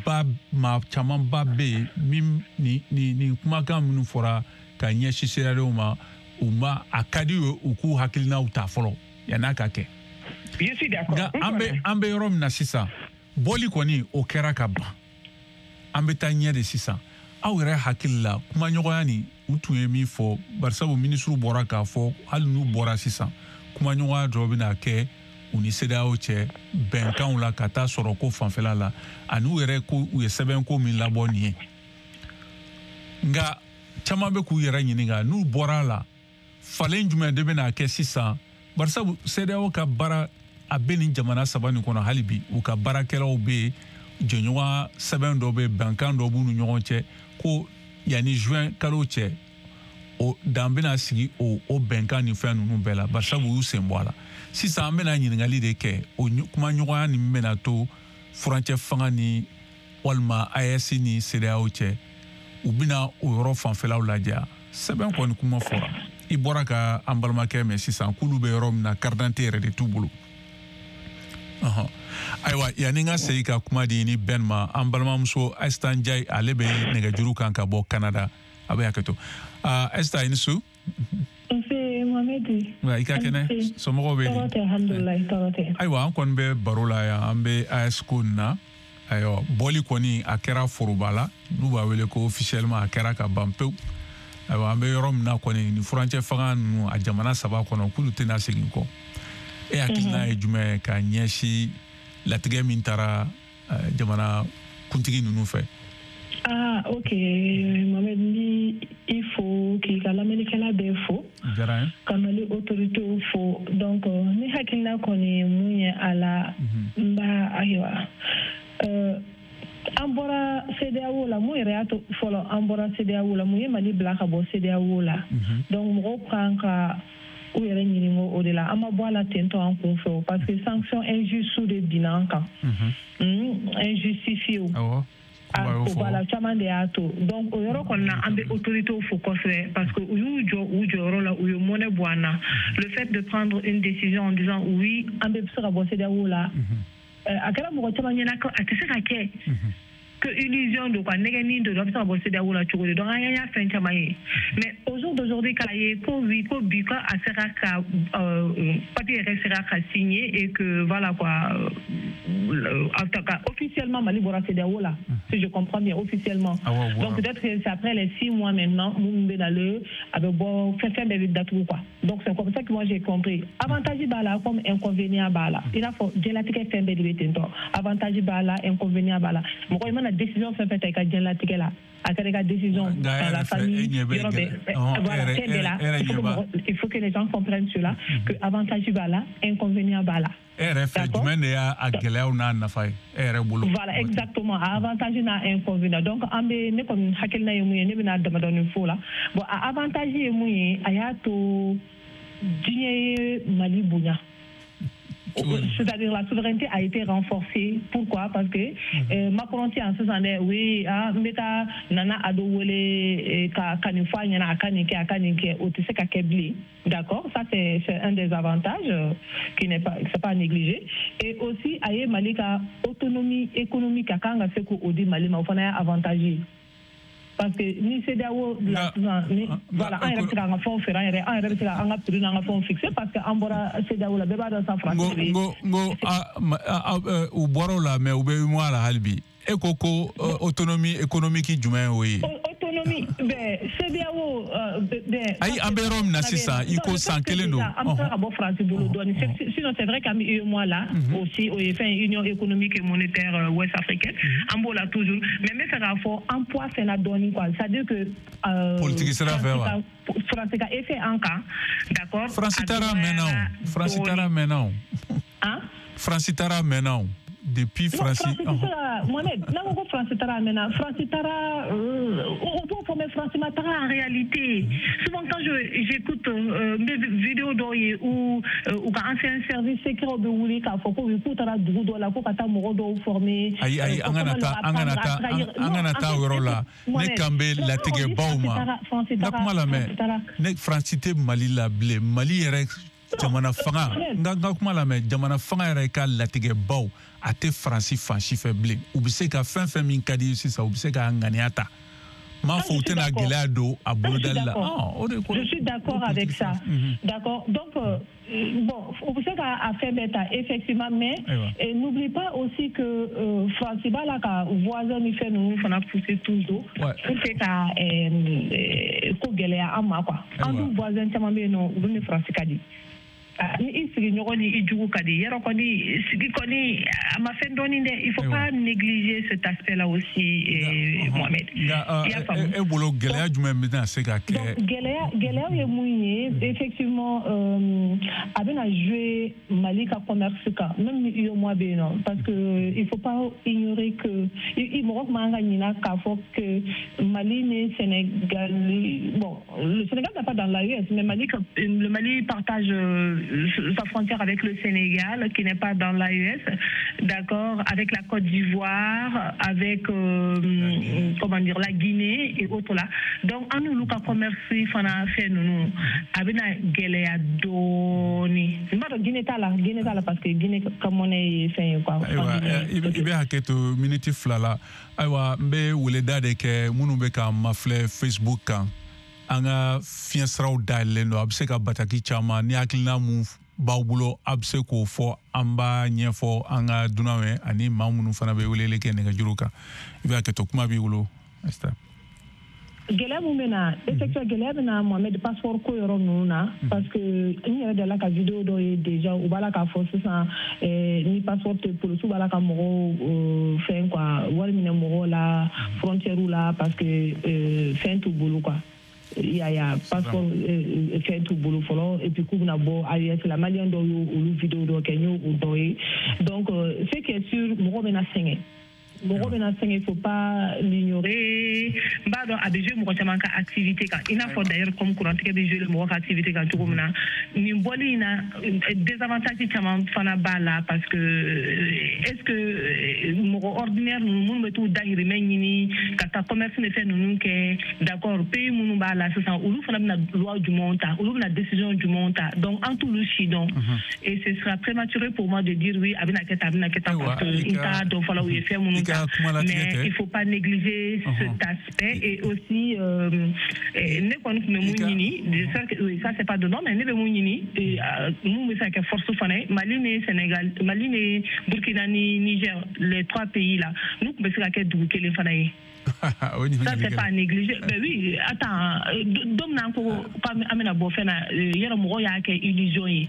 Speaker 5: ba maa camanba bɛ yen min ni ni nin kumakan minnu fɔra ka ɲɛsin CEDEAO ma, u ma a ka di u ye u k'u hakilinaw ta fɔlɔ yann'a ka kɛ.
Speaker 4: Je suis d'accord.
Speaker 5: Nka an bɛ an bɛ yɔrɔ min na sisan, bɔli kɔni o kɛra ka ban. An bɛ taa ɲɛ de sisan. Aw yɛrɛ hakili la, kumaɲɔgɔnya nin u tun ye min fɔ, barisabu minisiriw bɔra k'a fɔ, hali n'u bɔra sisan, kumaɲɔgɔnya dɔ bɛna kɛ u ni CEDEAO cɛ bɛnkanw la ka taa sɔrɔ ko fanfɛla la, ani u yɛrɛ ko u ye sɛbɛnko min labɔ nin ye. Nka caman bɛ k'u yɛrɛ ɲininka, n'u bɔra a la, falen jumɛn de bɛna kɛ sisan? Barisabu CEDEAO ka baara a bɛ nin jamana saba nin kɔnɔ hali bi, u ka baarakɛlaw bɛ yen, jɛɲɔgɔn sɛbɛn dɔ bɛ yen, bɛnkan dɔ b'u ni ɲɔgɔn cɛ, ko yanni juin kalo cɛ, o dan bɛna sigi o o bɛnkan ni fɛn ninnu bɛɛ la, barisabu u y'u sen bɔ a la. Sisan an bɛna ɲininkali de kɛ, o kumaɲɔgɔnya nin bɛna to furancɛ fanga ni walima A E S ni CEDEAO cɛ, u bɛna o yɔrɔ fanfɛlaw lajɛ. Sɛbɛn kɔni kuma fɔra, i bɔra ka an balimakɛ mɛn sisan k'olu bɛ yɔrɔ min na, carte d'identité yɛrɛ de t'u bolo. Ayiwa, yanni n ka segin ka kuma di ni Ben ma, an balimamuso Asitan Jayi, ale bɛ nɛgɛjuru kan ka bɔ Canada. A bɛ hakɛ to. Esther, i ni su.
Speaker 12: Nse Mohamed.
Speaker 5: I ka kɛnɛ, somɔgɔw bɛ di?
Speaker 12: Tɔɔrɔ tɛ, alhamdulilayi, tɔɔrɔ tɛ.
Speaker 5: Ayiwa, an kɔni bɛ baro la yan, an bɛ A E S ko nin na. Ayiwa, bɔli kɔni a kɛra foroba la, n'u b'a wele ko officiellement a kɛra ka ban pewu. Ayiwa, an bɛ yɔrɔ min na kɔni, nin furancɛ fanga ninnu a jamana saba kɔnɔ, k'olu tɛna segin kɔ. E hakilina ye jumɛn ye ka ɲɛsin latigɛ min taara jamana kuntigi ninnu fɛ?
Speaker 12: Ah, ok, Mohamed, ni il faut k'i ka lamɛnnikɛla bɛɛ fo. Ka Mali autorité fo. Donc, ni hakilina kɔni ye mun ye a la, n b'a ayiwa. An bɔra CEDEAO la, mun yɛrɛ y'a to fɔlɔ an bɔra CEDEAO la, mun ye Mali bila ka bɔ CEDEAO la? Donc, mɔgɔw kan ka u yɛrɛ ɲininka o de la. An ma bɔ a la ten tɔ an kun fɛ, parce que sanction injuste de binna an kan. Injustifié. O b'a la, caman de y'a to. Donc o yɔrɔ kɔni na, an bɛ autorités fo kosɛbɛ, parce que u y'u jɔ u jɔyɔrɔ la, u ye mɔnɛ bɔ an na. Le fait de prendre une décision en disant oui, an bɛ se ka bɔ CEDEAO la, a kɛra mɔgɔ caman ɲɛna ko a tɛ se ka kɛ, que illusion don quoi, nɛgɛnni don, a bɛ se ka bɔ CEDEAO la cogo di? Donc an y'a fɛn caman ye. Mais au jour d'aujourd'hui, k'a ye ko oui, ko bi ko a sera ka papier yɛrɛ sera ka signer et que voilà quoi, en tout cas officiellement Mali bɔra CEDEAO la, si je comprends bien, officiellement.
Speaker 5: Ah ouais, ouais.
Speaker 12: Donc peut-être que c'est après les six mois maintenant, mun bɛ na le a bɛ bɔ fɛn fɛn bɛɛ bɛ datugu quoi. Donc c'est comme ça que moi j'ai compris. Avantage b'a la comme inconvénient b'a la. I n'a fɔ diɲɛlatigɛ fɛn bɛɛ de bɛ ten tɔ. Avantage b'a la, inconvénient b'a la. Mɔgɔ i mana décision fɛn fɛn ta i ka diɲɛlatigɛ la, a kɛra i ka décision dans la famille, yɔrɔ bɛɛ, voilà, fɛn bɛɛ la, il faut que les gens comprennent cela, que avantage b'a la, inconvénient b'a la.
Speaker 5: E yɛrɛ fɛ jumɛn de y'a gɛlɛyaw n'a nafa ye e yɛrɛ bolo?
Speaker 12: Voilà, exactement, a avantage n'a inconvénient. Donc an bɛ, ne kɔni hakilina ye mun ye, ne bɛna damadɔni fɔ o la. Bon, a avantage ye mun ye, a y'a to diɲɛ ye Mali bonya. C'est-à-dire la souveraineté a été renforcée. Pourquoi? Parce que euh, Macron en ce sens, oui, ah, n bɛ taa Nana Ado wele ka ka nin fɔ a ɲɛna, a ka nin kɛ, a ka nin kɛ, o tɛ se ka kɛ bilen. D'accord, ça c'est c'est un des avantages euh, qui n'est pas, c'est pas à négliger. Et aussi a ye Mali ka autonomie économique a kan ka se k'o di Mali ma, o fana y'a avantage ye. Parce que ni CEDEAO la sisan ni voilà, an yɛrɛ bɛ se k'an ka fɛnw feere, an yɛrɛ an yɛrɛ bɛ se k'an ka prix n'an ka fɛnw fixer, parce que an bɔra CEDEAO la, bɛɛ b'a dɔn sa France bɛ.
Speaker 5: N ko n ko u bɔra o la, mais u bɛ UEMOA la hali bi. E ko ko autonomie économique jumɛn y'o ye?
Speaker 12: Autonomie bɛn CEDEAO bɛn.
Speaker 5: Ayi, an bɛ yɔrɔ min na sisan, i ko san kelen don.
Speaker 12: An bɛ se ka bɔ France bolo dɔɔni. Sinon c'est vrai qu'an bɛ UEMOA la aussi, o ye fɛn Union économique et monétaire ouest africaine, an b'o la toujours. Mais n bɛ fɛ k'a fɔ an poids fɛnna dɔɔni quoi, c'est-à-dire que.
Speaker 5: Politique sira fɛ wa?
Speaker 12: France ka effet an kan, d'accord.
Speaker 5: France taara mɛnna o. France taara mɛnna o.
Speaker 12: Han?
Speaker 5: France taara mɛnna o. Depuis France.
Speaker 12: Mohamed, n'a ko ko France taara mɛnna, France taara, on peut fɔ, mais France ma taara en réalité. Souvent quand je j'écoute euh, mes vidéos dɔw ye ou u ka ancien service secret bɛ wuli k'a fɔ ko k'u taara dugu dɔ la ko ka taa mɔgɔ dɔw former.
Speaker 5: Ayi ayi, an kana taa an kana taa an kana taa o yɔrɔ la. Ne kan bɛ latigɛbaw ma. N ka kuma lamɛn. Ne France tɛ Mali la bilen. Mali yɛrɛ jamana fanga, n ka n ka kuma lamɛn, jamana fanga yɛrɛ ka latigɛbaw a tɛ Faransi fan si fɛ bilen. U bɛ se ka fɛn fɛn min ka di sisan, u bɛ se k'a ŋaniya ta. M'a fɔ u tɛna gɛlɛya don a bolodali la.
Speaker 12: Je suis d'accord avec ça. D'accord. Donc euh, bon, on bɛ se k'a fɛn bɛɛ ta effectivement, mais n'oublie pas aussi que euh, France b'a la ka voisin ni fɛn ninnu fana pousser toujours pour que ka ko gɛlɛya an ma quoi. An dun voisin caman bɛ yen nɔ, olu ni France ka di. Ni i sigiɲɔgɔn ni i jugu ka di, yɔrɔ kɔni sigi kɔni a ma fɛn dɔɔni dɛ. Il faut pas négliger cet aspect là aussi, Mohamed.
Speaker 5: Nka e bolo gɛlɛya jumɛn bɛna se ka kɛ?
Speaker 12: Gɛlɛya gɛlɛya ye mun ye, effectivement, a bɛna jouer Mali ka commerce kan, même ni UEMOA bɛ yen nɔ, parce que il faut pas ignorer que i mɔgɔ tun man ka ɲinɛ k'a fɔ que Mali ni Sénégal, bon, le Sénégal n'est pas dans l'A E S, mais Mali, le Mali partage sa frontière avec le Sénégal, qui n'est pas dans l'A E S, d'accord, avec la Côte d'Ivoire, avec euh, comment dire, la Guinée et autres là. Donc, an n'olu ka commerce fana fɛn ninnu a bɛna gɛlɛya dɔɔni. N b'a dɔn Guinée t'a la, Guinée t'a la parce que Guinée ka monnaie ye fɛn ye quoi.
Speaker 5: Ayiwa, i bɛ hakɛ to miniti fila la. Ayiwa, n bɛ weleda de kɛ minnu bɛ k'an mafilɛ Facebook kan. An ka fiɲɛ siraw dayɛlɛlen don, a bɛ se ka bataki caman ni hakilina mun b'aw bolo, a bɛ se k'o fɔ, an b'a ɲɛfɔ an ka dunanw ye ani maa minnu fana bɛ weleli kɛ nɛgɛjuru kan. I bɛ hakɛ to, kuma b'i bolo.
Speaker 12: Gɛlɛya mun bɛ na, effectivement gɛlɛya bɛ na Mohamed passeport ko yɔrɔ ninnu na, parce que n yɛrɛ delila ka vidéo dɔ ye déjà, u b'a la k'a fɔ sisan ni passeport tɛ polisiw b'a la ka mɔgɔw fɛn quoi, wari minɛ mɔgɔw la frontière la parce que fɛn t'u bolo quoi. Il y a, il y a passeport fɛn t'u bolo fɔlɔ et puis k'u bɛna bɔ A E S la, malien dɔw y'o olu vidéo dɔ kɛ, n y'o dɔ ye. Donc ce qui est sûr, mɔgɔ bɛna sɛgɛn. Mɔgɔ bɛna sɛgɛn, il faut pas l'ignorer. N b'a dɔn a bɛ jouer mɔgɔ caman ka activité kan, i n'a fɔ d'ailleurs comme kurantigɛ bɛ jouer mɔgɔ ka activité kan cogo min na. Nin bɔli in na, désavantage caman fana b'a la parce que est-ce que mɔgɔ ordinaire ninnu minnu bɛ t'u dahirimɛ ɲini ka taa commerce ni fɛn ninnu kɛ, d'accord, pays minnu b'a la sisan, olu fana bɛna loi jumɛnw ta, olu bɛna décision jumɛnw ta, donc an t'olu si dɔn. Et ce sera prématuré pour moi de dire oui a bɛna kɛ tan, a bɛna kɛ tan, parce que n t'a dɔn fɔlɔ u ye fɛn minnu. Mais il ne faut pas négliger uh-huh. cet aspect. Et aussi, euh, ne kɔni tun bɛ mun ɲini, j'espère que oui, ça c'est pas dedans, mais ne bɛ mun ɲini, mun bɛ se ka kɛ force fana ye, Mali ni Sénégal, Mali ni Burkina ni Niger, les trois pays là, nous tun bɛ se ka kɛ dugu kelen fana ye. Ça c'est pas à négliger. Ben oui, attends, don min na an ko k'an bɛna bɔ fɛn na, yɔrɔ mɔgɔw y'a kɛ illusion ye.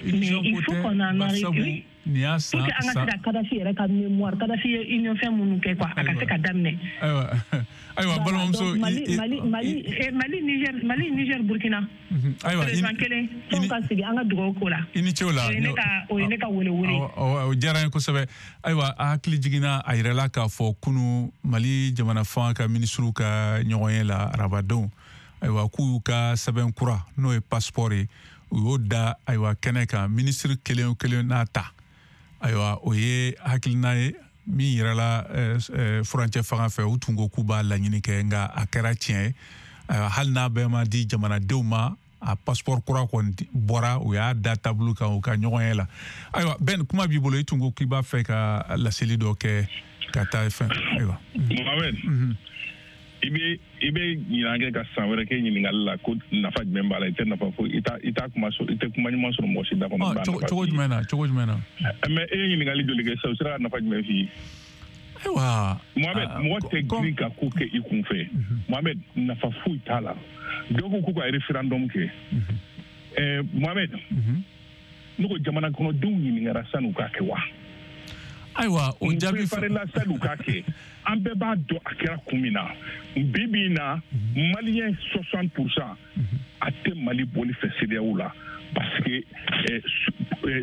Speaker 12: Mais il faut qu'on en arrive. Oui.
Speaker 5: Nin y'a san
Speaker 12: pour que an ka se ka Kadhafi yɛrɛ ka mémoire, Kadhafi ye union fɛn minnu kɛ quoi, a ka se ka daminɛ.
Speaker 5: Ayiwa, ayiwa, balimamuso,
Speaker 12: Mali Mali Mali Mali Niger, Mali Niger Burkina.
Speaker 5: Ayiwa,
Speaker 12: président kelen, tɔn ka sigi an ka dugawu ko la.
Speaker 5: I ni ce o la.
Speaker 12: O ye ne ka o ye ne ka wele wele.
Speaker 5: O diyara n ye kosɛbɛ. Ayiwa, a hakili jiginna a yɛrɛ la k'a fɔ kunu Mali jamana fanga ka minisiriw ka ɲɔgɔnye la arabadon. Ayiwa, k'u y'u ka sɛbɛn kura n'o ye passeport ye, u y'o da ayiwa kɛnɛ kan, minisiri kelen o kelen n'a ta. Ayiwa, o ye hakilina ye min yirala furancɛ fanga fɛ, u tun ko k'u b'a laɲini kɛ, nka a kɛra tiɲɛ ye. Ayiwa, hali n'a bɛɛ ma di jamanadenw ma, a passeport kura kɔni bɔra, u y'a da tabulu kan u ka ɲɔgɔn ye la. Ayiwa, Ben, kuma b'i bolo, i tun ko k'i b'a fɛ ka laseli dɔ kɛ ka taa fɛn. Ayiwa.
Speaker 11: Mohamed, i bɛ i bɛ ɲinan kɛ ka san wɛrɛ kɛ ɲininkali la ko nafa jumɛn b'a la, i tɛ nafa foyi, i t'a i t'a kuma sɔrɔ, i tɛ kuma ɲuman sɔrɔ mɔgɔ si da kɔnɔ.
Speaker 5: Cogo jumɛn na, cogo jumɛn na?
Speaker 11: Mais e ye ɲininkali joli kɛ sisan, o sera ka nafa jumɛn f'i ye?
Speaker 5: Ayiwa.
Speaker 11: Mohamed, mɔgɔ tɛ girin ka ko kɛ i kun fɛ. Mohamed, nafa foyi t'a la. Dɔw ko k'u ka référendum kɛ. Ɛɛ Mohamed, ne ko jamana kɔnɔdenw ɲininkara san'u k'a kɛ wa?
Speaker 5: Ayiwa, o jaabi
Speaker 11: préparé la san'u k'a kɛ. An bɛɛ b'a dɔn a kɛra kun min na. Bi bi in na, malien soixante pour cent a tɛ Mali bɔli fɛ CEDEAO la parce que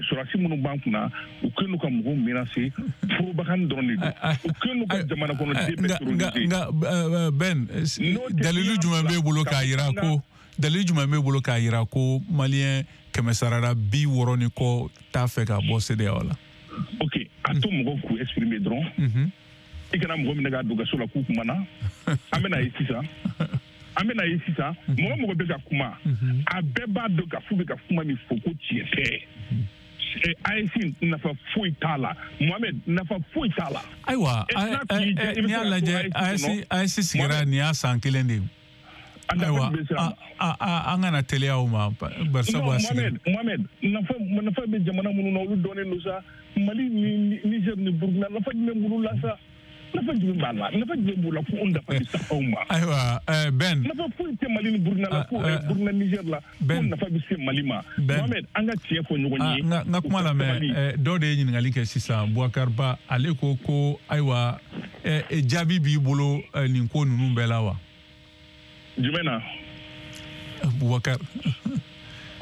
Speaker 11: sɔrɔdasi minnu b'an kunna, u kɛlen don ka mɔgɔw menacer, propagande dɔrɔn de don. U kɛlen don ka jamana kɔnɔden bɛɛ terroriser.
Speaker 5: Nka Ben, dalilu jumɛn b'e bolo k'a jira ko dalilu jumɛn b'e bolo k'a jira ko malien kɛmɛ sarada bi wɔɔrɔ ni kɔ t'a fɛ ka bɔ CEDEAO la?
Speaker 11: Ok, a to mɔgɔw k'u exprimer dɔrɔn. I kana mɔgɔ minɛ k'a don kaso la k'u kumana. An bɛna ye sisan. An bɛna ye sisan. Mɔgɔ mɔgɔ bɛ ka kuma, a bɛɛ b'a dɔn k'a f'u bɛ ka kuma min fɔ ko tiɲɛ tɛ. A E S nafa foyi t'a la. Mohamed, nafa foyi t'a la.
Speaker 5: Ayiwa, n'i y'a lajɛ, A E S sigira nin y'a san kelen de ye. Ayiwa, an kana teliya o ma bari sabu a sigira.
Speaker 11: Mohamed, nafa nafa bɛ jamana minnu na, olu dɔnnen don sa. Mali ni Niger ni Burkina, nafa jumɛn b'olu la sa? Nafa jumɛn b'a la? Nafa jumɛn b'u la ko o nafa bɛ se anw ma?
Speaker 5: Ayiwa, Ben.
Speaker 11: Nafa foyi tɛ Mali ni Burkina la, ko Burkina Niger la, ko nafa bɛ se Mali ma. Mohamed, an ka tiɲɛ fɔ ɲɔgɔn ye.
Speaker 5: N ka kuma lamɛn, dɔw de ye ɲininkali kɛ sisan, Boubacar Ba, ale ko ko ayiwa, jaabi b'i bolo nin ko ninnu bɛɛ la wa?
Speaker 11: Jumɛn na?
Speaker 5: Boubacar.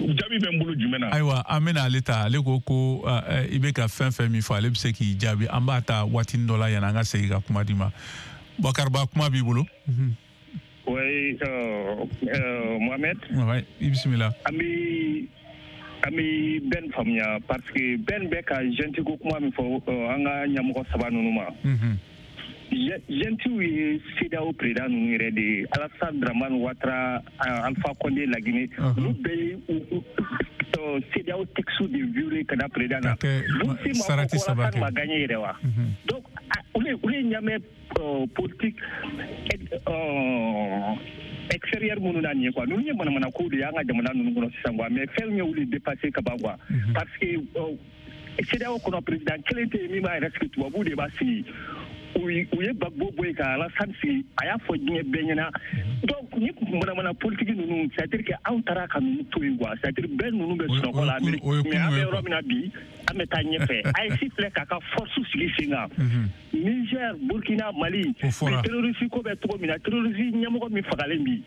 Speaker 11: Jaabi bɛ n bolo jumɛn na?
Speaker 5: Ayiwa, an bɛna ale ta, ale ko ko i bɛ ka fɛn fɛn min fɔ, ale bɛ se k'i jaabi. An b'a ta waatinin dɔ la yanni an ka segin ka kuma d'i ma. Boubacar Ba, kuma b'i bolo.
Speaker 10: Oui, euh, euh, Mohamed.
Speaker 5: Oui, i bisimila.
Speaker 10: An bɛ An bɛ Ben faamuya parce que Ben bɛ ka junte ko kuma min fɔ an ka ɲɛmɔgɔ saba ninnu ma. Juntew ye CEDEAO président ninnu yɛrɛ de ye, Alassane Dramane Ouattara, Alpha Condé la Guinée, olu bɛɛ ye CEDEAO texte de violer ka da président na. Olu si ma fɔ ko Alassane ma gagné yɛrɛ wa. Donc olu olu ye ɲamɛ politique extérieur minnu na nin ye quoi, ninnu ye manamana kow de ye an ka jamana ninnu kɔnɔ sisan quoi, mais fɛn ye olu dépassé ka ban quoi, parce que CEDEAO kɔnɔ président kelen tɛ yen min b'a yɛrɛ sigi, tubabuw de b'a sigi. U ye Gbagbo bɔ yen ka Alassane sigi, a y'a fɔ diɲɛ bɛɛ ɲɛna. Donc ni manamana politique ninnu, c'est à dire que anw taara ka ninnu to yen quoi, c'est à dire bɛɛ ninnu bɛ sunɔgɔ la, mais an bɛ yɔrɔ min na bi, an bɛ taa ɲɛfɛ. A E S filɛ k'a ka force sigi sen kan. Niger, Burkina, Mali, terroriste ko bɛ cogo min na, terroriste ɲɛmɔgɔ min fagalen bi,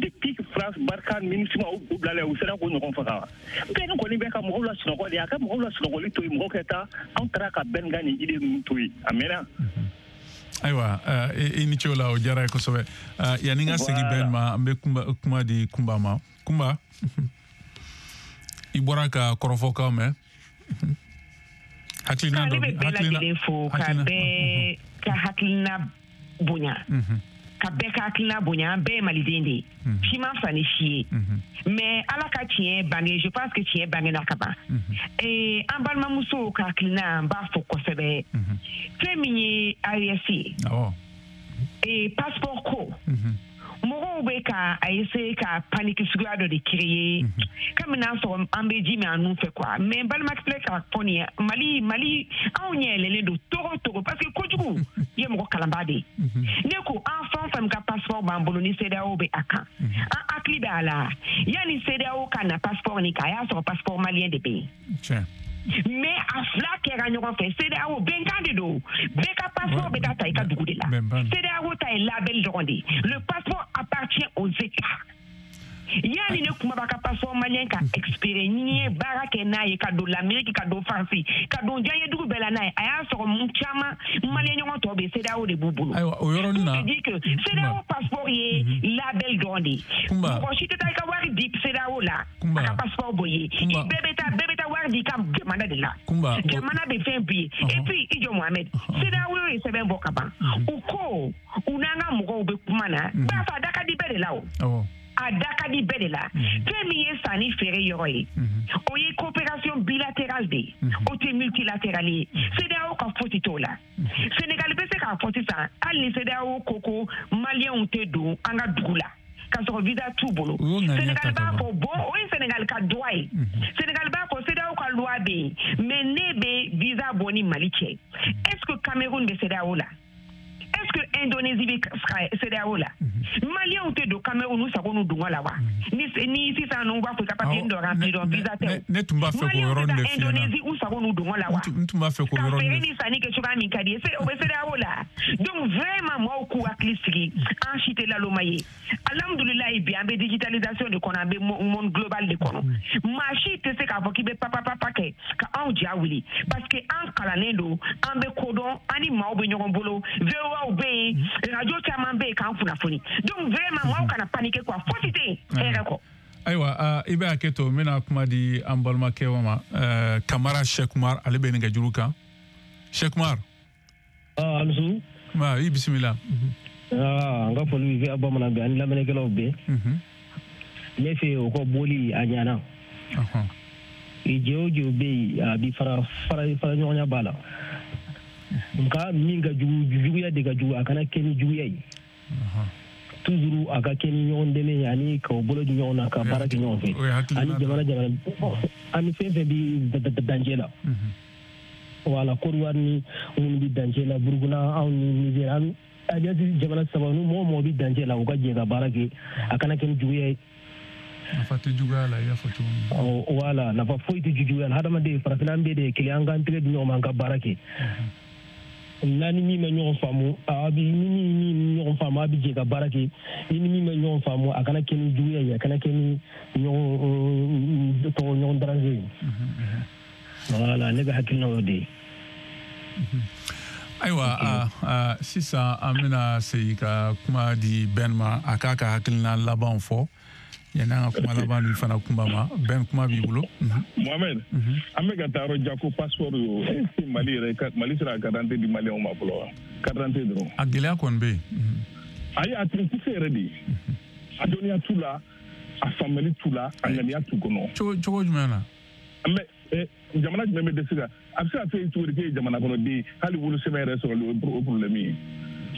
Speaker 10: depuis France, Barkhane, MINUSMA u bilala u sera k'o ɲɔgɔn faga. Bɛɛ kɔni bɛ ka mɔgɔw la sunɔgɔ de, a ka mɔgɔw la sunɔgɔli to yen, mɔgɔw ka taa, anw taara ka bɛn ka nin idée ninnu to yen, a mɛnna.
Speaker 5: Ayiwa, i ni ce o la, o diyara ye kosɛbɛ. Yanni n ka segin bɛn ma, an bɛ kuma di Kunba ma. Kunba, i bɔra ka kɔrɔfɔkan mɛn. Hakilina dɔ
Speaker 4: bɛ bɛɛ lajɛlen fo ka bɛɛ ka hakilina bonya. Ka bɛɛ ka hakilina bonya, an bɛɛ ye maliden de ye. Si ma fisa ni si ye. Mais Ala ka tiɲɛ bange, je pense que tiɲɛ bangena ka ban. Ee, an balimamusow ka hakilina, n b'a fɔ kosɛbɛ. Fɛn min ye A E S ye.
Speaker 5: Awɔ.
Speaker 4: Ee, passeport ko. Mɔgɔw bɛ ka a essayer ka panique suguya dɔ de créer. Comme n'a sɔrɔ an bɛ ji min an nun fɛ quoi. Mais n balimakɛ filɛ k'a fɔ nin ye, Mali Mali anw ɲɛ yɛlɛlen don togo togo parce que kojugu ye mɔgɔ kalanbaa de ye. Ne ko an fɛn o fɛn ka passeport b'an bolo ni CEDEAO bɛ a kan. An hakili bɛ a la. Yanni CEDEAO ka na passeport nin kan, a y'a sɔrɔ passeport malien de bɛ yen.
Speaker 5: Tiɲɛ.
Speaker 4: Mais a fila kɛra ɲɔgɔn fɛ, CEDEAO bɛnkan de don, bɛɛ ka passeport bɛ taa ta i ka dugu de la. CEDEAO ta ye label dɔrɔn de ye. Le passeport appartient aux États. Yanni ne kuma b'a ka passeport malien ka expiré, ni ye baara kɛ n'a ye ka don l'Amérique, ka don France, ka don diɲɛ dugu bɛɛ la n'a ye, a y'a sɔrɔ mun caman malien ɲɔgɔn tɔw bɛ CEDEAO de b'u bolo.
Speaker 5: Ayiwa, o yɔrɔnin na.
Speaker 4: Pour te dire que CEDEAO passeport ye label dɔrɔn de ye. Mɔgɔ si tɛ taa i ka wari di CEDEAO la, a ka passeport bɔ ye. I bɛɛ bɛ taa bɛɛ bɛ taa wari di i ka jamana de la. Jamana bɛ fɛn b'i ye. Et puis i jɔ Mohamed, CEDEAO ye sɛbɛn bɔ ka ban. U ko u n'an ka mɔgɔw bɛ kuma na, barisa a da ka di bɛɛ de la o. A da ka di bɛɛ de la. Fɛn min ye sanni feere yɔrɔ ye, o ye coopération bilatérale de ye, o tɛ multilatérale ye. CEDEAO ka fosi t'o la. Sénégal bɛ se k'a fɔ sisan, hali ni CEDEAO ko ko maliyɛnw tɛ don an ka dugu la k'a sɔrɔ visa t'u bolo. Sénégal b'a fɔ bon, o ye Sénégal ka droit ye. Sénégal b'a fɔ CEDEAO ka loi bɛ yen, mais ne bɛ visa bɔ ni Mali cɛ. Est-ce que Cameroun bɛ CEDEAO la? Est-ce que Indonésie bɛ CEDEAO la? Maliens tɛ don Cameroun u sago n'u dungɔ la wa? Ni ni sisan ninnu b'a fɔ i ka papier dɔ remplir dɔrɔn visa tɛ o.
Speaker 5: Ne tun b'a fɛ k'o yɔrɔnin de f'i ɲɛna.
Speaker 4: Indonésie u sago n'u dungɔ la wa?
Speaker 5: N tun b'a fɛ k'o yɔrɔnin de.
Speaker 4: Ka feere ni sanni kɛ cogoya min ka di ye, o bɛ CEDEAO la. Donc vraiment maaw k'u hakili sigi, an si tɛ laloma ye. Alhamdulilayi bi an bɛ digitalisation de kɔnɔ, an bɛ monde global de kɔnɔ. Maa si tɛ se k'a fɔ k'i bɛ papa papa kɛ ka anw ja wuli parce que an kalannen don, an bɛ kodɔn, an ni maaw bɛ ɲɔgɔn bolo. V O A bɛ yen, radio caman bɛ yen k'an kunnafoni. Donc vraiment maaw kana paniquer quoi, fosi tɛ yen hɛrɛ kɔ.
Speaker 5: Ayiwa, i bɛ hakɛ to, n bɛna kuma di an balimakɛ ma, Kamara Cheikh Oumar, ale bɛ nɛgɛjuru kan. Cheikh Oumar.
Speaker 8: Ah, Alusu.
Speaker 5: Ma, i bisimila.
Speaker 8: Ah, n ka foli bɛ bamanan bɛɛ ani lamɛnnikɛlaw bɛɛ. Ne fɛ o ka boli a ɲɛna. Jɛ o jɛ bɛ yen, a bi fara fara fara ɲɔgɔnya b'a la. Nka min ka jugu, juguya de ka jugu, a kana kɛ ni juguya ye. Toujours a ka kɛ ni ɲɔgɔn dɛmɛ ye ani k'o bolo di ɲɔgɔn na ka baara kɛ ɲɔgɔn fɛ. Ani jamana jamana ani fɛn fɛn bi dancɛ la. Wala Côte d'Ivoire ni minnu bi dancɛ la, Burukina anw ni Niger, an alliance jamana saba ni mɔgɔ mɔgɔ bi dancɛ la, u ka jɛ ka baara kɛ, a kana kɛ ni juguya ye.
Speaker 5: Nafa tɛ juguya la, i y'a fɔ cogo min.
Speaker 8: Wala nafa foyi tɛ juguya la. Hadamaden farafinna an bɛɛ de ye kelen, an k'an tɛgɛ di ɲɔgɔn ma, an ka baara kɛ. N'a ni min ma ɲɔgɔn faamu, a bi ni min ɲɔgɔn faamu, a bi jɛ ka baara kɛ. Ni ni min ma ɲɔgɔn faamu, a kana kɛ ni juguya ye, a kana kɛ ni ɲɔgɔn tɔgɔ ɲɔgɔn daranse ye. Wala ne ka hakilina y'o de ye.
Speaker 5: Ayiwa, sisan an bɛna segin ka kuma di Ben ma, a k'a ka hakilina labanw fɔ. Yanni an ka kuma laban di fana Kunba ma, Ben kuma b'i bolo.
Speaker 11: Mohamed, an bɛ ka taa yɔrɔ jan ko passeport yo, est-ce que Mali yɛrɛ Mali sera ka carte d'identité di Maliyɛnw ma fɔlɔ wa? Carte d'identité dɔrɔn.
Speaker 5: A gɛlɛya kɔni bɛ yen.
Speaker 11: Ayi, a tɛ se yɛrɛ de. A dɔnniya t'u la, a faamuyali t'u la, a ŋaniya t'u kɔnɔ.
Speaker 5: Cogo cogo jumɛn na?
Speaker 11: Mais jamana jumɛn bɛ dɛsɛ ka a bɛ se ka fɛ cogo di k'e ye jamana kɔnɔden hali wolosɛbɛn yɛrɛ sɔrɔli o problème ye.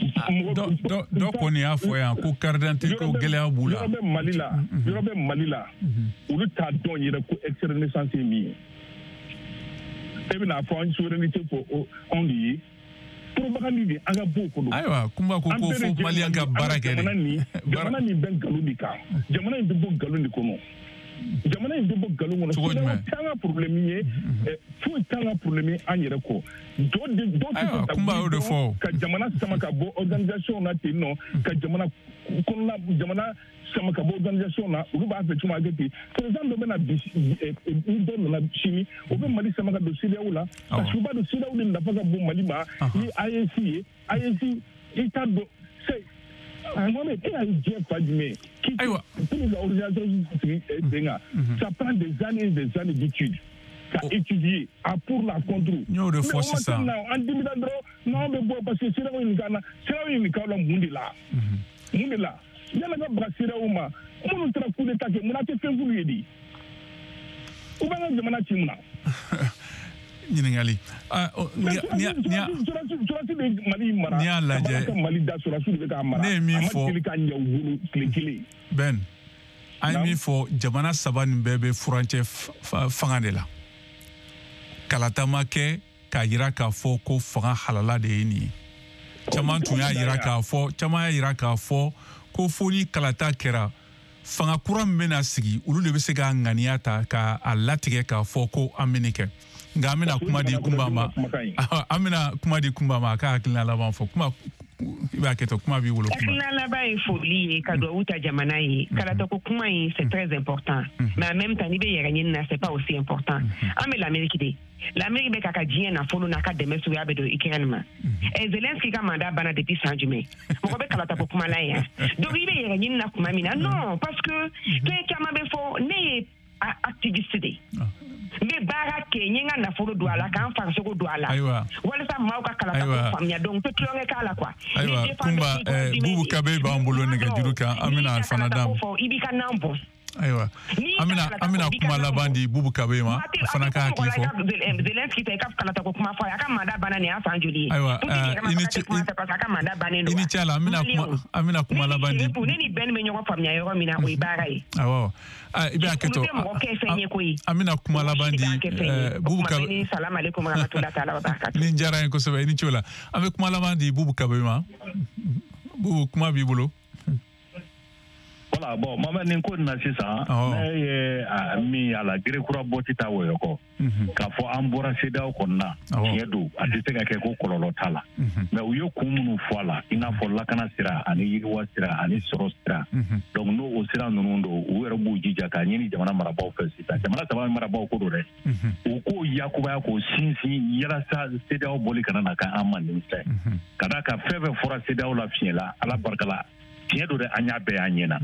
Speaker 5: Dɔ kɔni y'a fɔ yan ko carte d'identité ko gɛlɛya b'u la.
Speaker 11: Yɔrɔ bɛ Mali la, yɔrɔ bɛ Mali la, olu t'a dɔn yɛrɛ ko extrait de naissance ye min ye. E bɛna fɔ an souveraineté fɔ anw de ye. Propagande de an ka bɔ o kɔnɔ.
Speaker 5: Ayiwa, Kunba ko ko fo Maliyɛn ka baara kɛ de.
Speaker 11: Jamana nin bɛ nkalon de kan. Jamana in bɛ bɔ nkalon de kɔnɔ. Jamana in bɛ bɔ nkalon kɔnɔ.
Speaker 5: Cogo jumɛn?
Speaker 11: T'an ka problème ye, foyi t'an ka problème ye an yɛrɛ kɔ. Dɔ de dɔ tɛ se ka
Speaker 5: Kunba y'o de fɔ.
Speaker 11: Ka jamana sama ka bɔ organisation na ten nɔ, ka jamana kɔnɔna jamana sama ka bɔ organisation na, olu b'a fɛ cogo min a kɛ ten. Président dɔ bɛna bi, ni dɔ nana sini, o bɛ Mali sama ka don CEDEAO la. Parce que u b'a dɔn CEDEAO de nafa ka bon Mali ma ni A E S ye. A E S i t'a dɔn. Mohamed, e y'a ye diɲɛ fa jumɛn?
Speaker 5: Ayiwa.
Speaker 11: Pour que organisation sigi sen kan, ça prend des années et des années d'études. Ka étudier a pour la contre.
Speaker 5: N y'o de fɔ sisan.
Speaker 11: An dimina dɔrɔn n'anw bɛ bɔ parce que CEDEAO nin kan na, CEDEAO nin kan la mun de la? Mun de la? Yala ka baga CEDEAO ma, minnu taara coup d'état kɛ, mun na tɛ fɛn f'olu ye de? U b'an ka jamana ci mun na?
Speaker 5: Ɲininkali.
Speaker 11: Surasi bɛ Mali mara.
Speaker 5: N'i y'a lajɛ.
Speaker 11: Mali da surasi de bɛ k'a mara.
Speaker 5: Ne ye min fɔ.
Speaker 11: A ma deli ka ɲɛ u bolo tile kelen.
Speaker 5: Ben, an ye min fɔ, jamana saba nin bɛɛ bɛ furancɛ fanga de la. Kalata ma kɛ k'a jira k'a fɔ ko fanga halala de ye nin ye. Caman tun y'a jira k'a fɔ, caman y'a jira k'a fɔ ko fo ni kalata kɛra, fanga kura min bɛna sigi, olu de bɛ se k'a ŋaniya ta k'a latigɛ k'a fɔ ko an bɛ nin kɛ. Nka an bɛna kuma di Kunba ma, an bɛna kuma di Kunba ma a ka hakilina laban fɔ. Kuma i b'a kɛ ten, kuma b'i bolo. Kuma
Speaker 4: hakilina laban ye foli ye ka duwawu ta jamana ye. Kalata ko kuma in c'est très important, mais en même temps n'i bɛ yɛrɛ ɲini na c'est pas aussi important. An bɛ l'Amérique de. L'Amérique bɛ k'a ka diɲɛ nafolo n'a ka dɛmɛ suguya bɛ don Ukraine ma. Ɛ Zelensky ka mandat banna depuis san jumɛn? Mɔgɔ bɛ kalata ko kuma la yan. Donc i bɛ yɛrɛ ɲini na kuma min na, non, parce que fɛn caman bɛ fɔ, ne ye activiste de ye. N bɛ baara kɛ, n ye n ka nafolo don a la, k'an farisogo don a la.
Speaker 5: Ayiwa.
Speaker 4: Walasa maaw ka kalata ko faamuya, donc n tɛ tulonkɛ k'a la quoi.
Speaker 5: Ayiwa, Kunba, Bubu Kabe b'an bolo nɛgɛjuru kan, an bɛna fana d'a ma.
Speaker 4: I b'i ka nan bɔ.
Speaker 5: Ayiwa, an bɛna an bɛna kuma laban di Bubu Kabe ma, a fana ka hakili fɔ.
Speaker 4: Zelensky ta i ka kalata ko kuma fɔ a ye, a ka mandat banna nin y'a san joli ye?
Speaker 5: Ayiwa, i ni ce, i ni ce a la, an bɛna kuma an bɛna kuma laban di.
Speaker 4: Ne ni Ben bɛ ɲɔgɔn faamuya yɔrɔ min na, o ye baara ye.
Speaker 5: Awɔ, i bɛ hakɛ to, an bɛna kuma laban di Bubu Kabe.
Speaker 4: Salam aleykum warahmatullahi taala wa barakatuh.
Speaker 5: Nin diyara n ye kosɛbɛ, i ni ce o la. An bɛ kuma laban di Bubu Kabe ma. Bubu, kuma b'i bolo.
Speaker 6: Voilà, bon, Mohamed, nin ko nin na sisan, ne ye min y'a la, gere kura bɔ tɛ taa wɔyɔ kɔ. K'a fɔ an bɔra CEDEAO kɔnɔna na, tiɲɛ don, a tɛ se ka kɛ ko kɔlɔlɔ t'a la. Mais u ye kun minnu fɔ a la, i n'a fɔ lakana sira ani yiriwa sira ani sɔrɔ sira. Donc n'o o sira ninnu don, u yɛrɛ b'u jija k'a ɲini jamana marabaaw fɛ sisan. Jamana saba marabaaw ko don dɛ. U k'o yakubaya k'o sinsin yalasa CEDEAO bɔli kana na k'an ma nimisa ye. Ka d'a kan fɛn fɛn fɔra CEDEAO la fiɲɛ la, Ala barika la, tiɲɛ don dɛ, an y'a bɛɛ y'an ɲɛna.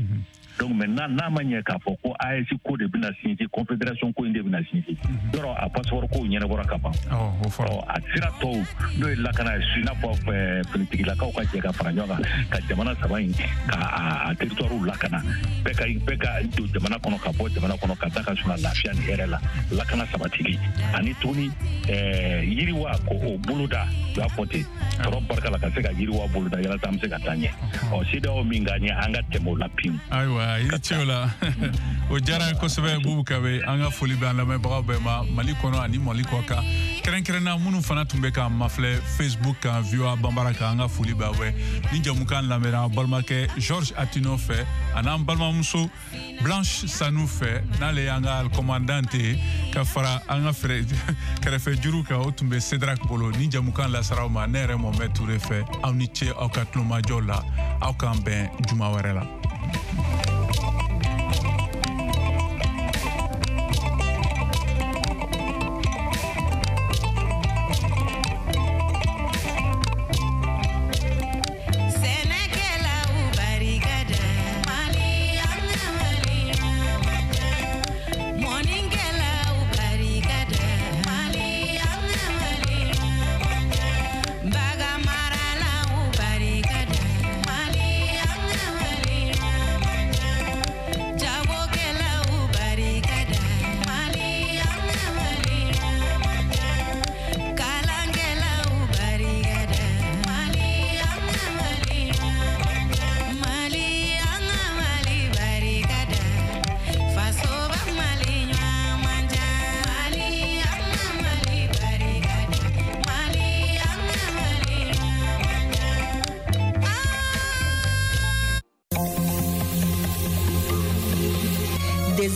Speaker 6: Donc maintenant n'a ma ɲɛ k'a fɔ ko A E S ko de bɛna sinsin, confédération ko in de bɛna sinsin, yɔrɔ a passeport ko ɲɛnabɔra ka ban. Ɔ a sira tɔw n'o ye lakana ye, i n'a fɔ finitigilakaw ka jɛ ka fara ɲɔgɔn kan ka jamana saba in ka a territoire lakana, bɛɛ ka bɛɛ ka don jamana kɔnɔ ka bɔ jamana kɔnɔ ka taa ka suna lafiya ni hɛrɛ la, lakana sabatili ani tuguni yiriwa ko o boloda, u y'a fɔ ten, sɔrɔ barika la ka se ka yiriwa boloda yalasa an bɛ se ka taa ɲɛ. Ɔ CEDEAO min ka ɲɛ, an ka tɛmɛ o la pewu.
Speaker 5: Ayiwa, i ni ce o la. O diyara n ye kosɛbɛ Bubu Kabe. An ka foli bɛ an lamɛnbagaw bɛɛ ma Mali kɔnɔ ani Mali kɔ kan, kɛrɛnkɛrɛnna minnu fana tun bɛ k'an mafilɛ Facebook kan, V O A Banbara kan, an ka foli b'aw bɛɛ. Ni jamukan lamɛnna an balimakɛ Georges Atino fɛ an'an balimamuso Blanche Sanu fɛ, n'ale y'an ka commandante ye, ka fara an ka kɛrɛfɛ juru kan, o tun bɛ Cédric bolo. Ni jamukan lasaraw ma, ne yɛrɛ Mohamed Touré fɛ, aw ni ce aw ka tulomajɔ la, aw k'an bɛn juma wɛrɛ la.